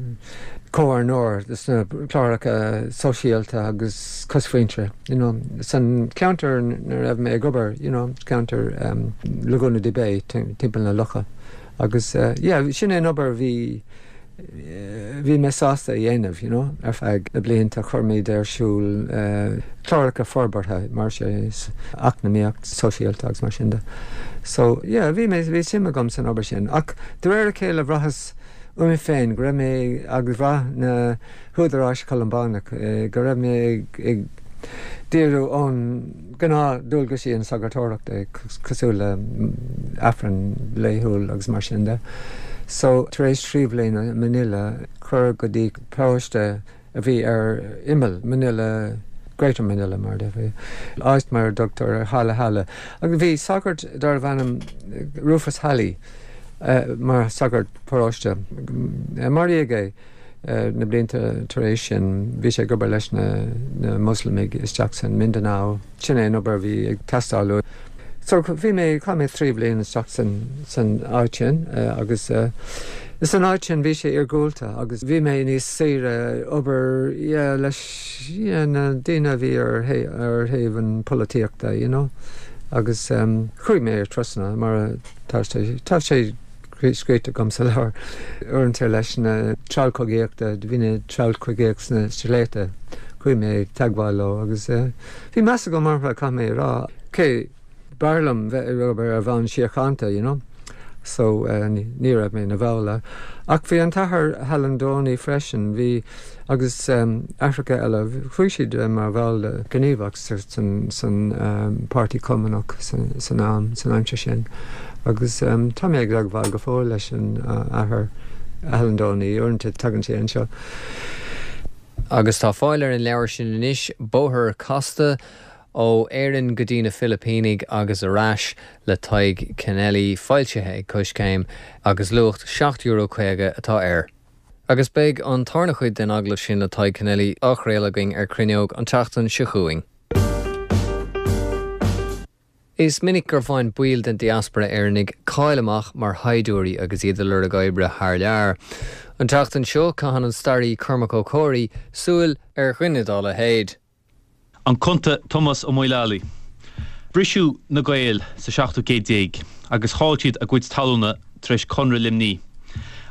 S6: chomhairleoir sna cláracha sóisialta agus cosmhuintire, you know, san cheantar ina raibh mé ag obair, you know, ceantar Laguna de Bay, timpeall na locha. Agus yeah, sin é an obair a bhí bhí mé sásta a dhéanamh, you know, ar feadh na blianta chuir muid ar siúl cláracha forbartha mar sé, eacnamaíocht, sóisialta agus mar sin de. So, yeah, bhí mé, bhí suim agam san obair sin. Ach de réir a chéile bhraitheas uaim féin go raibh mé agus bhraith na húdaráis Columbánach go raibh mé ag díriú ón gnáth dualgaisí an sagartóireachta cosúil le Aifreann laethúil agus mar sin de. So tar éis 3 bhliana i Manila cuireadh go dtí paróiste a bhí ar imeall Manila, Greater Manila mar a déarfá, áit mar a dtugtar Hala-Hala. Agus bhí sagart darbh ainm Rufus Halley mar shagart paróiste. Maraíodh é. Na blianta tar éis sin, bhí sé ag obair leis na Moslamaigh isteach san Mindanao. Sin é an obair a bhí ag teastáil uaidh. So bhí mé, chaith mé 3 bhliain isteach san, san áit sin agus san áit sin bhí sé iargúlta agus bhí mé níos saoire obair yeah leis yeah na daoine a bhí ar ar thaobh an polaitíochta you know agus chuaigh mé trasna mar tá sé, tá sé scríte agam sa leabhar uaireanta leis na treallchogaíochta, bhí na treallchogaíocht sna sléibhte, chuaigh mé ag teagmháil leo agus bhí meas agam orthu, caithfidh mé a rá. Cé b'fhearr liom bheith ag obair ar bhonn síochánta, you know, so ní raibh mé ina bhall. Ach bhí an tAthair Jalandoni freisin, bhí, agus aithreacha eile, chuaigh siad mar bhall gníomhach san Páirtí Cumannach san am, san aimsir sin. Agus tá mé ag teagmháil go fóill leis an Athair Jalandoni, uaireanta tagann sé anseo.
S1: Agus tá fáil ar an leabhar sin anois, Bóthar Casta, Ó Éirinn go dtí na Filipínigh agus ar ais, le Tadhg Kennelly, foilsithe ag Coiscéim, agus luach €7.50 atá air. Agus beidh an tarna chuid den agallamh sin le Tadhg Kennelly á chraoladh againn ar Cruinneog an tseachtain seo chugainn. Is minic gur bhain baill den diaspora Éireannaigh cáil amach mar shaighdiúirí agus iad ag lorg oibre thar lear. An tseachtain seo, caitheann an staraí Cormac Ó Comhraí súil ar dhuine dá leithéid.
S7: An Cunta Tomás Ó Maoileallaigh. Briseadh na Gaeil sa seachtú céad déag agus chaill siad a gcuid talúna tar éis Conradh Luimní.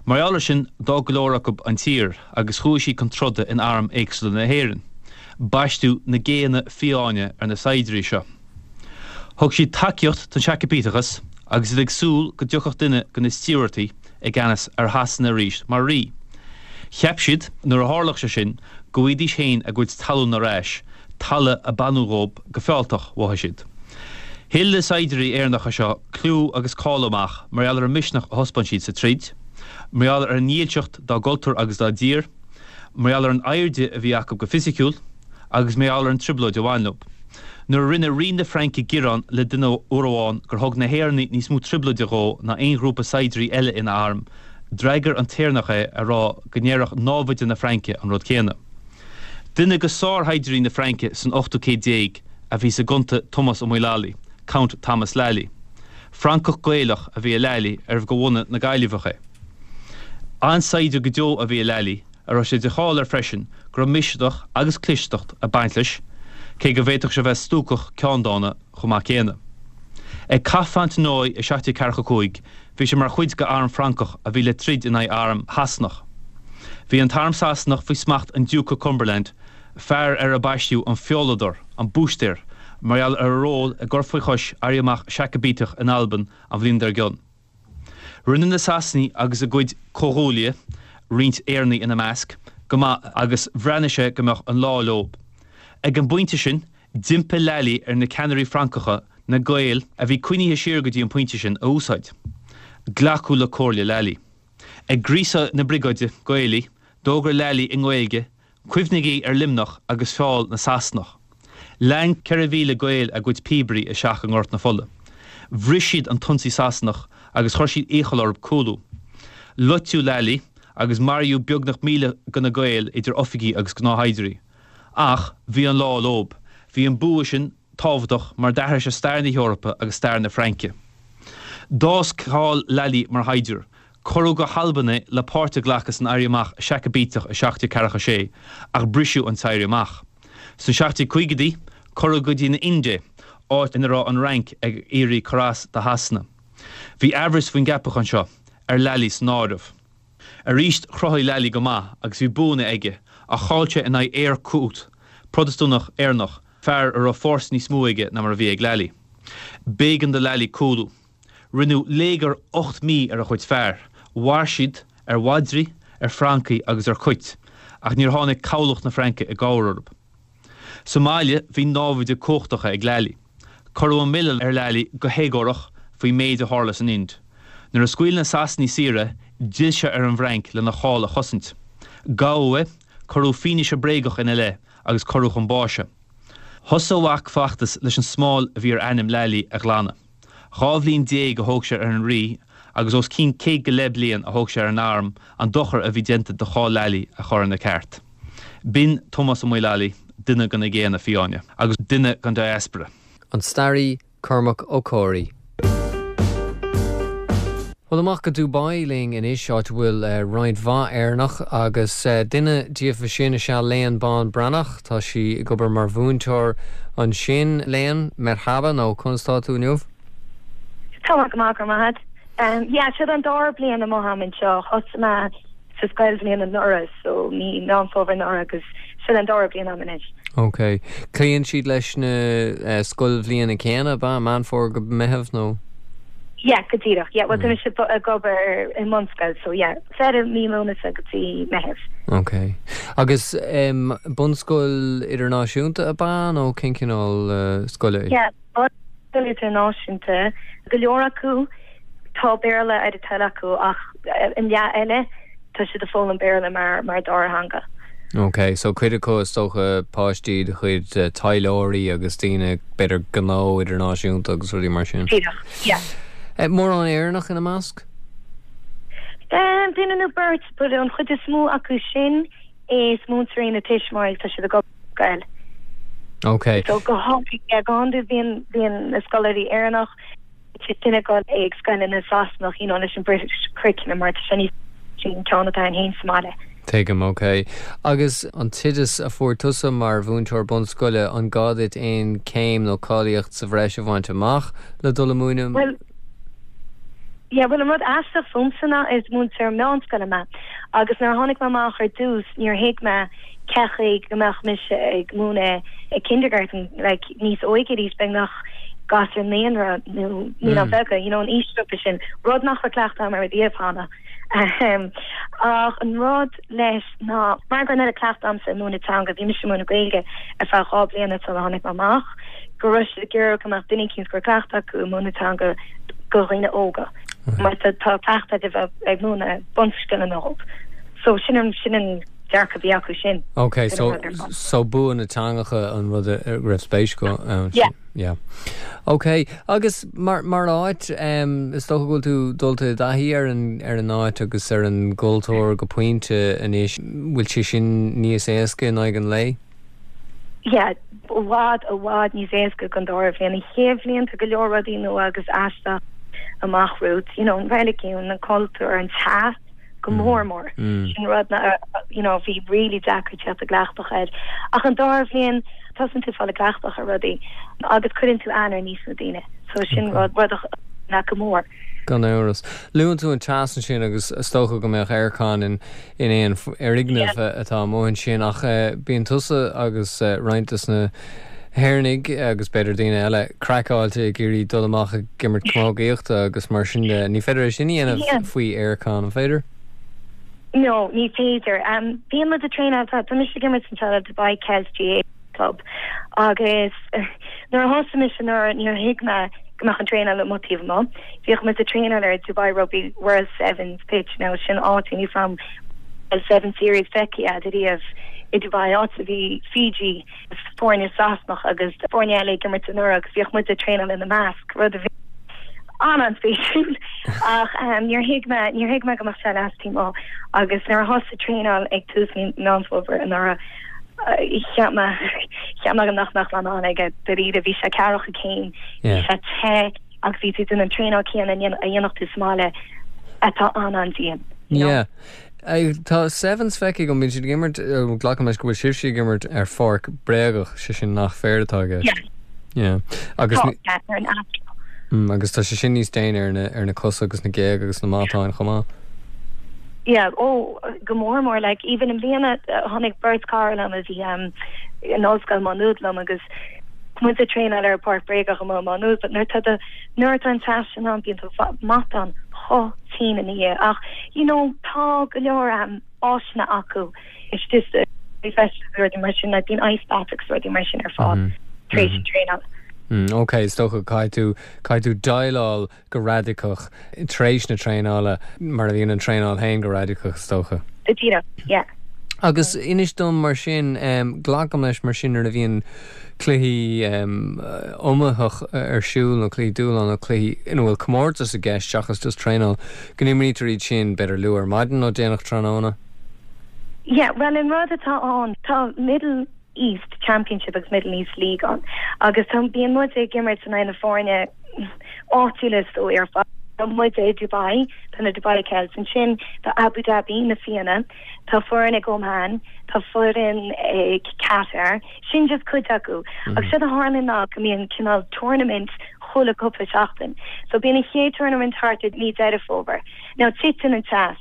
S7: Mar gheall ar sin d'fhág go leor acu an tír agus chuaigh siad chun troda in airm éagsúla na hÉireann. Baisteadh na Géanna Fiáine ar na saighdiúirí seo. Thug siad tacaíocht don Seacaibíteachas agus iad ag súil go dtiocfadh duine de na Stiúbhartaigh i gceannas ar Shasana arís mar rí. Cheap siad, nuair a tharlódh sé sin, go bhfaighidís féin a gcuid talún ar ais, talamh a baineadh dhóibh go fealltach, mhothaigh siad. Thuill na saighdiúirí Éireannacha seo clú agus cáil amach mar gheall ar an misneach a thaispeáin siad sa troid, mar gheall ar a ndílseacht dá gcultúr agus dá dtír. Mar gheall ar an airde a bhí acu go fisiciúil agus mar gheall ar an trioblóid a bhain leo. Nuair a rinne Rí na Fraince gearán le duine uair amháin gur thug na hÉireannaigh níos mó trioblóide dhó ná aon ghrúpa saighdiúirí eile ina arm, d'fhreagair an tÉireannach é ag rá go ndéarfadh námhaid na Fraince an rud céanna. Duine de sárshaighdiúirí na Fraince san ochtú céad déag a bhí sa gCunta Tomás Ó Maolallaí, Count Thomas Lally. Francach Gaelach a bhí i Lally arbh de bhunadh na Gaillimheach é. An-saighdiúir go deo a bhí i Lally, a raibh sé de cháil air freisin go raibh misneach agus clisteacht ag baint leis, cé go bhféadfadh sé bheith stuacach ceanndána chomh maith céanna. Ag Cath Fontenoy i 1745 bhí sé mar chuid de arm Francach a bhí le troid in aghaidh arm Shasanach. Bhí an t-arm Sasanach faoi smacht an Diúca Cumberland, fear ar ar baisteadh an Feoladóir, an Búistéir, mar gheall ar a ról i gcur faoi chois éirí amach Seacaibíteach in Albain an bhliain dár gcionn. Rinne na Sasanaigh agus a gcuid comhghuaillithe, roinnt Éireannaigh ina measc, go maith agus bhreathnaigh sé go mbeadh an lá leo. Ag an bpointe sin, d'impigh Lally ar na ceannairí Francacha na Gaeil, a bhí coinnithe siar go dtí an pointe sin, a úsáid. Glacadh le comhairle Lally. Ag gríosadh na briogáide Gaelaí, d'fhógair Lally i nGaeilge Cuimhnigí ar Luimneach agus feall na Sasanach. Lean 4,000 Gael a gcuid píobairí isteach i nGort na Fola. Bhris siad an t-ionsaí Sasanach agus chuir siad iachall orthu cúlú. Loiteadh Lally agus maraíodh beagnach 1,000 de na Gaeil idir oifigigh agus gnáthshaighdiúirí. Ach bhí an lá leo. Bhí an bua sin tábhachtach mar d'athraigh sé stair na hEorpa agus stair na Fraince. D'fhás cáil Lally mar shaighdiúir. Cuireadh go hAlbain é le páirt a ghlacadh san Éirí Amach Seacaibíteach i 1746, ach briseadh an t-éirí amach. Sna 1750idí, cuireadh go dtí an Ind é, áit ina raibh an Fhrainc ag iarraidh cur as do Shasana. Bhí aimhreas faoin gceapachán seo, ar Lally san áireamh. Arís chruthaigh Lally go maith agus bhí buanna aige, ach chaill sé in aghaidh Eyre Coote, Protastúnach Éireannach, fear a raibh fórsa níos mó aige ná mar a bhí ag Lally. B'éigean do Lally cúlú. Rinneadh léigear 8 mí ar a chuid fear. Mhair siad ar mhadraí, ar francaigh agus ar chait, ach níor tháinig cabhlach na Fraince i gcabhair orthu. Sa mbaile bhí námhaid cumhachtacha ag Lally. Cuireadh an milleán ar Lally go héagórach faoin méid a tharla san Ind. Nuair a scaoil na Sasanaigh saor é, d'fhill sé ar an bhFrainc lena cháil a chosaint. Gabhadh é, cuireadh fianaise bréagach ina leith agus cuireadh chun báis é. Thosaigh a mhac feachtas leis an smál a bhí ar ainm Lally a ghlanadh. 12 bhliain a thóg sé ar an rí agus os cionn céad go leith bliain a thóg sé ar an arm an dochar a bhí déanta do cháil Lally a chur ina ceart. B'in Tomás Ó Maolallaí, duine de na Géanna Fiáine agus duine den diaspora.
S1: An staraí Cormac Ó Comhraí. Bhuel, amach go Dubai linn anois, áit a bhfuil roinnt mhaith Éireannach agus duine díofa sin is ea Léan Bán Breathnach. Tá sí ag obair mar mhúinteoir ansin. Léan, merhaba, nó conas tá tú inniu?
S8: Tá mé go maith, go raibh maith agat. Yeah, seo an dara bliain amuigh a'm anseo. Thosaigh mé sa scoilbhliain anuraidh, so mí Meán Fómhair anuraidh agus seo an dara bliain a'm anois.
S1: Ok. Cloíonn siad leis na scoilbhliana céanna, ab ea? Meán Fómhair go Meitheamh nó?
S8: Yeah, go díreach. Yeah, bhuel tá mise ag obair i mbunscoil, so yeah, deireadh mí Lúnasa go dtí Meitheamh.
S1: Ok. Agus bunscoil idirnáisiúnta ab ea nó cén cineál scoile
S8: í? Yeah, bunscoil idirnáisiúnta. Go leor acu tá Béarla ar a dtoil acu ach an leath eile tá siad ag foghlaim Béarla mar mar dara theanga.
S1: Ok, so cuid acu is dócha páistí de chuid taidhleoirí agus daoine b'fhéidir gnó idirnáisiúnta agus rudaí mar sin.
S8: Díreach, yeah.
S1: Mórán Éireannach ina measc?
S8: Duine nó beirt, but an chuid is mó acu sin is múinteoirí nó tuismitheoirí, tá siad ag obair sa scoil.
S1: Ok.
S8: So go hiondúil bíonn bíonn na scoláirí Éireannach, duine ag dul ag scoileanna Sasanach, you know, leis an British curriculum mar tá sé níos an ceann atá againn féin sa mbaile.
S1: Tuigim, ok. Agus an t-oideas a fuair tusa mar mhúinteoir bunscoile, an gá duit aon céim nó cáilíocht sa bhreis a bhaint amach le dul ag múineadh?
S8: Bhuel, yeah, bhuel an rud aisteach fúmsa ná is múinteoir meánscoile mé agus nuair a tháinig mé amach ar dtús níor thuig mé cén chaoi go mbeadh mise ag múineadh ag kindergarten like níos óige arís beagnach gasúir naíonra nó naíonáin bheaga you know an aoisghrúpa sin rud nach raibh cleachtadh agam air riamh cheana ach an rud leis ná mar go raibh an oiread cleachtadh agamsa ag múineadh teanga bhí mise ag múineadh Gaeilge ar feadh 2 bliana sular tháinig mé amach go raibh siad ag iarraidh go mbeadh duine eicínt go raibh cleachtadh acu ag múineadh teanga do dhaoine óga mar tá cleachtadh agat a bheith ag múineadh bunscileanna dóibh so sin an sin an. dearcadh a bhí acu sin.
S1: Ok, so so bua na teangacha an rud a raibh spéis acu ann.
S8: Yeah.
S1: Yeah. Ok, agus mar mar áit, is dócha go bhfuil tú dulta i dtaithí ar an ar an áit agus ar an gcultúr go pointe anois, bhfuil sé sin níos éasca in aghaidh an lae?
S8: Yeah, i bhfad, i bhfad níos éasca don dara bhliain. An chéad bhliain tá go leor rudaí nua agus aisteach amach romhat, you know, an reiligiún, an cultúr, an teas go mór mór. Sin rud na, you know, bhí really deacair teacht i gcleachtadh air. Ach an dara bhliain, tosaíonn tú fáil i gcleachtadh ar rudaí agus cuireann tú aithne ar níos mó daoine. So sin rud, rud a leat go mór.
S1: Gan amhras. Luann tú an teas ansin agus is dócha go mbeadh aircon in in aon fhoirgneamh atá amuigh ansin ach bíonn tusa agus roinnt de na hÉireannaigh agus b'fhéidir daoine eile craiceáilte ag iarraidh dul amach ag imirt camógaíochta agus mar sin de. Ní féidir é sin a dhéanamh faoi aircon, an féidir?
S8: No, ní féidir. Bíonn muid ag traenáil, tá mise ag imirt anseo le Dubai Celts GAA Club agus nuair a thosaigh mise anuraidh níor thuig mé go mbeadh an traenáil amuigh taobh amuigh. Bhíodh muid ag traenáil ar Dubai Rugby World Sevens pitch now sin áit níl a fhios a'm an bhfuil Sevens Series feicthe a'd ariamh i Dubai áit a bhí Fiji foirne Sasanach agus foirne eile ag imirt anuraidh agus bhíodh muid ag traenáil ina measc rud a bhí an-an-spéisiúil ach níor thuig mé níor thuig mé go mbeadh sé leas taobh amuigh agus nuair a thosaigh traenáil ag tús mí Meán Fómhair anuraidh cheap mé cheap mé nach mbeadh mé in ann aige dáiríre bhí sé ceathracha céim bhí sé te agus bhí tú ag déanamh an traenáil céanna a dhéanfadh tú sa mbaile atá an-an-dian.
S1: You know? Yeah. Tá Sevens feicthe agam, bíonn siad ag imirt, glacaim leis go bhfuil sibhse ag imirt ar pháirc bréagach, sé sin nach féar atá i gceist.
S8: Yeah.
S1: Yeah. Agus
S8: Tá, yeah, ar an astro.
S1: Mm, agus tá sé sin níos déine ar na, ar na cosa agus na géaga agus na matáin chomh maith.
S8: Yeah, oh, go mór mór, like, even i mbliana tháinig beirt cara liom a bhí um, in Ollscoil Má Nuad liom agus muid ag traenáil ar páirc bréagach amuigh i Má Nuad, but nuair atá do, nuair atá an teas sin ann bíonn do mhatáin chomh tinn ina dhiaidh ach you know tá go leor um, áiseanna acu istigh sa feistis agus rudaí mar sin like bíonn ice bath agus rudaí mar sin ar fáil tar éis an traenáil.
S1: Mm, ok, is dócha caithfidh tú, caithfidh tú déileáil go radacach tar éis na traenála, mar a bhíonn an traenáil féin go radacach, is dócha.
S8: Go díreach, yeah.
S1: Agus inis dom mar sin, glacaim leis mar sin nuair a bhíonn cluichí iomaitheach ar siúl nó cluichí dúshláin nó cluichí ina bhfuil comórtas i gceist seachas just traenáil, go n-imrítear iad sin b'fhéidir luath ar maidin nó déanach tráthnóna?
S8: Yeah, bhuel an rud atá ann, tá middle East Championship agus Middle East League ann agus tá, bíonn muid ag imirt in aghaidh na foirne áitiúla is dóigh ar fad. Tá muid i Dubai, tá na Dubai Celts ansin, tá Abu Dhabi, na Fianna, tá foireann ag Oman, tá foireann ag Qatar, sin just cuid acu. Agus séard a tharlaíonn ná go mbíonn cineál tournament chuile cúpla seachtain. So bíonn an chéad tournament thart i mí Deireadh Fómhair. Now titeann an teas,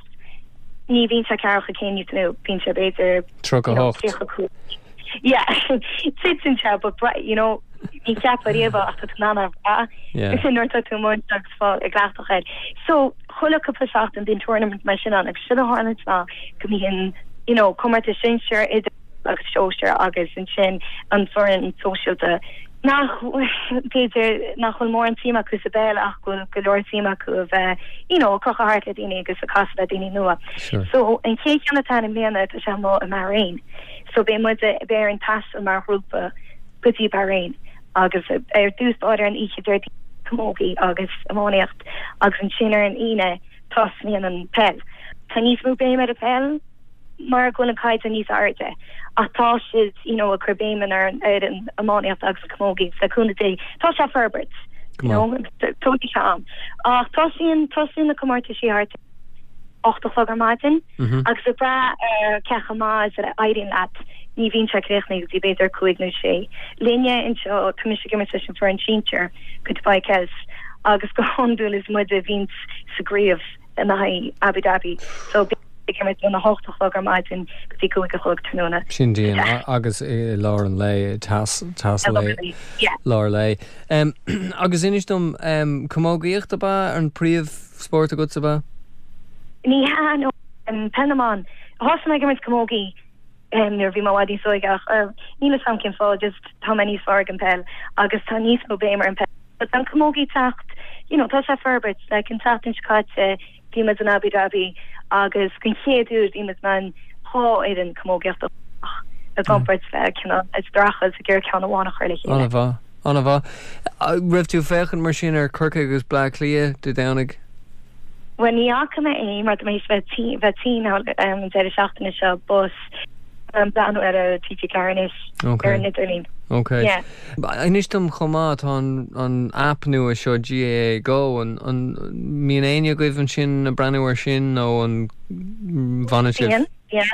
S8: ní bhíonn sé ceathracha céim níos mó, bíonn sé b'fhéidir
S1: 38. 35.
S8: Yeah, titeann sé but you know, ní cheapfá riamh ach tá tú in ann a bhrath nuair atá tú amuigh agus fáil i gcleachtadh air. So chuile cúpla seachtain bíonn tournament mar sin ann agus séard a tharlaíonn ná go mbíonn you know, comórtas sinsir idir agus sóisir agus ansin an foireann sóisialta nach b'fhéidir nach bhfuil mórán suim acu sa bpeil ach go bhfuil go leor suim acu a bheith you know ag crochadh thart le daoine agus ag casadh le daoine nua.
S1: Sure.
S8: So an chéad cheann atá ann i mbliana tá sé amuigh i mBahrain. So beidh muid beidh orainn taisteal mar ghrúpa go dtí Bahrain agus ar dtús báire an oíche Déardaoin camogie agus iománaíocht agus ansin ar an Aoine tosnaíonn an peil. Tá níos mó béim ar an peil mar go bhfuil an caighdeán níos airde ach tá siad you know ag cur béim ar an ar an iománaíocht agus an camogie agus le cúnamh Dé tá sé ag forbairt you know tógfaidh sé am ach tosaíonn tosaíonn na comórtaisí thart 8 a chlog ar maidin agus ag brath ar cé chomh maith is a éiríonn leat ní bhíonn sé críochnaithe go dtí b'fhéidir 5 nó 6. Linne anseo tá mise ag imirt leis an foireann sinsir go Dubai Celts agus go hiondúil is muide a bhíonns sa gcraobh in aghaidh Abu Dhabi so bíonn ag imirt óna hocht a chlog ar maidin go dtí 5 a chlog tráthnóna.
S1: Sin dian agus i lár an lae, teas, teas lae, lár lae. Agus inis dom, camógaíocht ab ea an príomhspórt agat ab ea?
S8: Ní hea, no, peil na mban. Thosaigh mé ag imirt camogie nuair a bhí mé i bhfad níos óige ach níl 'fhios a'm cén fáth, just tá mé níos fearr ag an peil agus tá níos mó béim ar an peil. But tá an camogie ag teacht, you know, tá sé ag forbairt, like an tseachtain seo caite bhí muid in Abu Dhabi agus den chéad uair bhí muid in ann. fhoireann camógaíochta i gcomparáid le cineál ag streachailt ag iarraidh ceann amháin a chur le chéile.
S1: An-mhaith, an-mhaith. Raibh tú ag féachaint mar sin ar Corcaigh agus Bleá Cliath Dé Domhnaigh?
S8: Bhuel ní fhaca mé é mar tá mé théis bheith tinn bheith tinn an deireadh seachtaine seo but ag breathnú ar ar TG4 anois ar an idirlíon.
S1: Ok.
S8: Yeah.
S1: Inis dom chomh maith tá an an app nua seo GAA Go an an mbíonn éinne agaibh ansin ag breathnú ar sin nó an bhfanann sibh?
S8: Bíonn, yeah.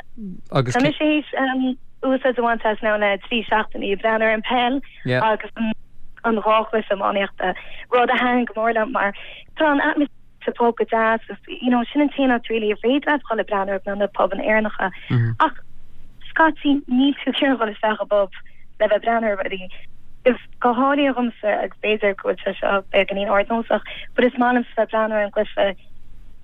S1: Agus
S8: Tá mise théis úsáid a bhaint as now le 3 seachtainí ag breathnú ar an peil agus an an dhá chluiche iománaíochta, rud a thaitin go mór liom mar tá an atmaisféar sa phub go deas agus you know sin an t-aon áit really ar féidir leat dhul ag breathnú air ná na pubanna Éireannacha ach scaití níl tú ag iarraidh dhul isteach i bpub le bheith ag breathnú ar rudaí. Is go háirithe dhomsa agus b'fhéidir go bhfuil sé seo beagáinín ardnósach but is maith liomsa bheith ag breathnú ar an gcluiche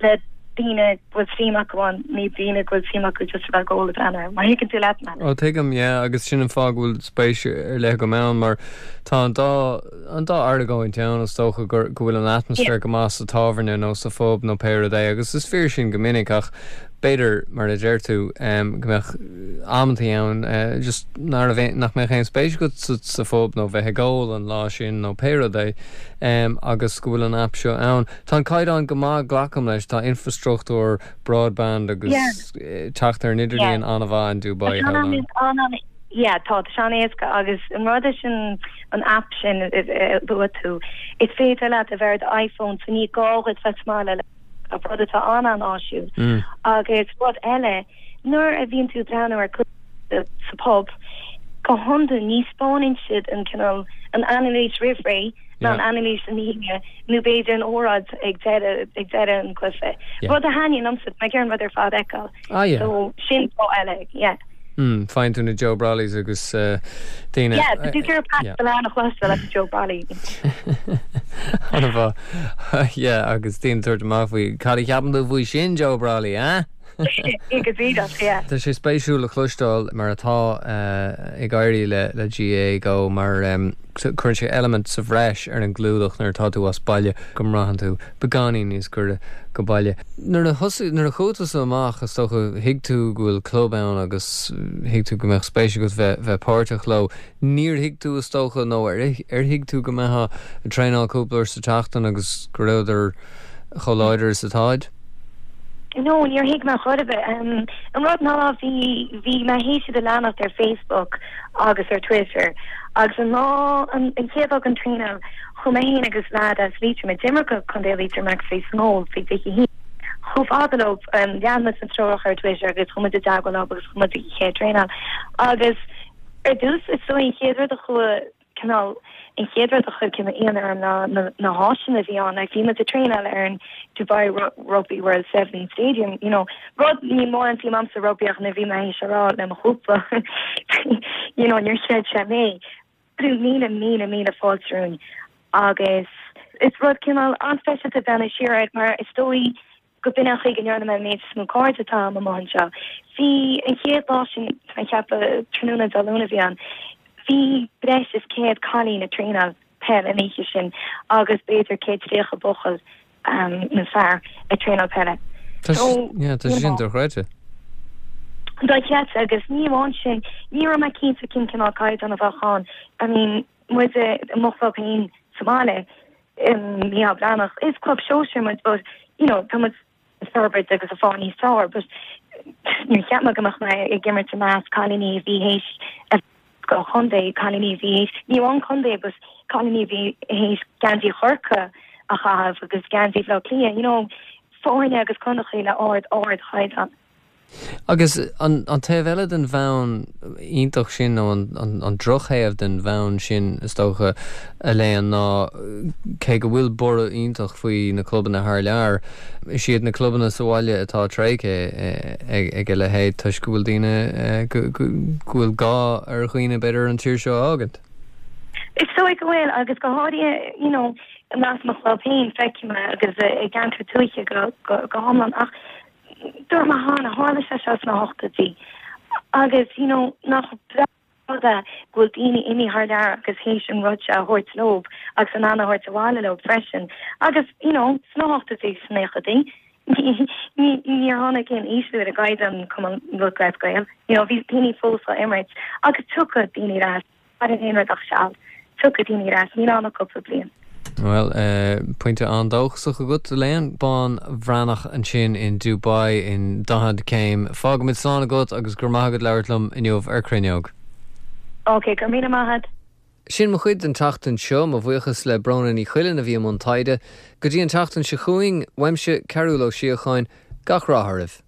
S8: le daoine go bhfuil suim acu ann ní daoine go bhfuil suim acu just a bheith ag ól ag breathnú air. Má thuigeann tú leat mé.
S1: Ó tuigim yeah agus sin an fáth go bhfuil spéis ar leith agam ann mar tá an dá an dá argóint ann, is dócha, go bhfuil an atmaisféar go maith sa tábhairne nó sa phub nó pé rud é, agus is fíor sin go minic, ach b'fhéidir, mar a deir tú, go mbeadh amantaí ann just nach raibh, nach mbeadh aon spéis agat sa phub nó bheith ag ól an lá sin nó pé rud é, agus go bhfuil an aip seo ann. Tá an caighdeán go maith, glacaim leis, tá infreastruchtúr broadband agus teacht ar an idirlíon an-mhaith in Dubai,
S8: shamhlóinn. Yeah, tá, tá sé an-éasca agus an rud leis an an app sin a luaigh tú, is féidir leat a bheith ar do iPhone so ní gá dhuit bheith sa mbaile le laptop, rud atá an-an-áisiúil. Agus rud eile, nuair a bhíonn tú ag breathnú ar cluiche sa pub, go hiondúil ní 'spáineann siad an cineál, an anailís roimh ré ná an anailís ina dhiaidh nó b'fhéidir an óráid ag deireadh, ag deireadh an cluiche. Rud a thaitníonn liomsa, tá mé ag iarraidh an rud ar fad a fheiceáil.
S1: Ah yeah.
S8: So sin fáth eile, yeah.
S1: Mm, faigheann tú na Joe Brollies agus daoine.
S8: Yeah, tá tú ag iarraidh Pat Spillane a chloisteáil agus Joe Brolly.
S1: An-mhaith. Yeah, agus daoine ag tabhairt amach faoi, cad a cheapann tú faoi sin, Joe Brolly, eh?
S8: Go díreach, yeah.
S1: Tá sé spéisiúil a chloisteáil mar atá ag éirí le le GAA Go mar cuireann sé eilimint sa bhreis ar an gclúdach nuair atá tú as baile go mbraitheann tú beagáinín níos gaire go baile. Nuair a thosaigh, nuair a chuaigh tusa amach, is dócha, thuig tú go bhfuil club ann agus thuig tú go mbeadh spéis agat bheith, bheith páirteach leo. Níor thuig tú, is dócha, nó ar, ar thuig tú go mbeifeá ag traenáil cúpla uair sa tseachtain agus go rabhadar chomh láidir is atáid?
S8: No, níor thuig mé chor ar bith. An rud ná bhí, bhí mé théis iad a leanacht ar Facebook agus ar Twitter agus an lá, an, an chéad lá den traenáil, Chuaigh mé féin agus leaid as Liatroim a d'imir do Chontae Liatroim agus bhí sa nGól faoi 21 chomh fada leo. Lean muid na treoracha ar Twitter agus chuaigh muid i dteagmháil leo agus chuaigh muid ag an chéad traenáil. Agus ar dtús is dóigh an chéad rud a chuaigh cineál an chéad rud a chuir cineál ionadh orm ná na na háiseanna a bhí ann. Like bhí muid ag traenáil ar an Dubai Rugby World Sevens Stadium, you know, rud níl mórán suim a'msa i rugbaí ach nuair a bhí mé théis a rá le mo chúpla you know níor chreid sé mé. 1000 míle míle fáilte romhainn agus is rud cineál an-speisialta breathnú siar air mar is dóigh go b'in an chaoi go ndearna mé an méid is mó cairde atá agam amuigh anseo. Bhí an chéad lá sin, tá mé ag ceapadh tráthnóna Dé Luain a bhí ann, bhí breis is 100 cailín ag traenáil peil an oíche sin agus b'fhéidir 130 buachaill nó fear ag traenáil peile.
S1: Tá So, yeah, tá sé sin dochreidte.
S8: Dochreidte agus ní amháin sin, ní raibh mé cinnte cén cineál caighdeán a bheadh ann. I mean, muid i mo chlub féin sa mbaile, Micheál Breathnach, is club sóisir muid but, you know, tá muid ag forbairt agus ag fáil níos fearr but níor cheap mé go mbeadh mé ag imirt i measc cailíní a bhí théis a do chontae, cailíní a bhí théis, ní amháin contae but cailíní a bhí théis geansaí Chorcaí a chaitheamh agus geansaí Bhaile Átha Cliath, you know, foirne agus contaetha le ard, ardchaighdeán.
S1: Agus an taobh eile den bhonn iontach sin, nó an drochthaobh den bhonn sin, is dócha, Elaine, ná cé go bhfuil borradh iontach faoi na clubanna thar lear, is iad na clubanna sa bhaile atá tréigthe ag a leithéid toisc go bhfuil daoine, go bhfuil gá ar dhaoine b'fhéidir an tír seo a fhágaint.
S8: Is dóigh go bhfuil, agus go háirithe, you know, i measc mo chlub féin, feicim é agus i gceantar tuaithe go hiomlán ach dúirt mé cheana, tharla sé seo sna hochtóidí agus, you know, nach breá rud é go bhfuil daoine imithe thar lear agus théis an rud seo a thabhairt leo agus in ann a thabhairt abhaile leo freisin. Agus, you know, sna hochtóidí, sna naochaidí. Níor tháinig aon ísliú ar an gcaighdeán Cumann Lúthchleas Gael. You know, bhí daoine fós á imirt agus tiocfaidh daoine ar ais. Maireann aon rud ach seal. Tiocfaidh daoine ar ais, níl ann ach cúpla bliain.
S1: Bhuel, pointe an-dóchasach agat, Elaine. Bean Bhreathnach ansin in Dubai in 40 céim. Fágfaimid slán agat agus go raibh maith agat labhairt liom inniu ar Cruinneog.
S8: Ok, go raibh míle maith agat.
S1: Sin mo chuid don tseachtain seo. Mo bhuíochas le Bróna Ní Chuilinn a bhí i mbun taighde. Go dtí an tseachtain seo chugainn, uaimse, Cearúll Ó Síocháin, gach rath oraibh.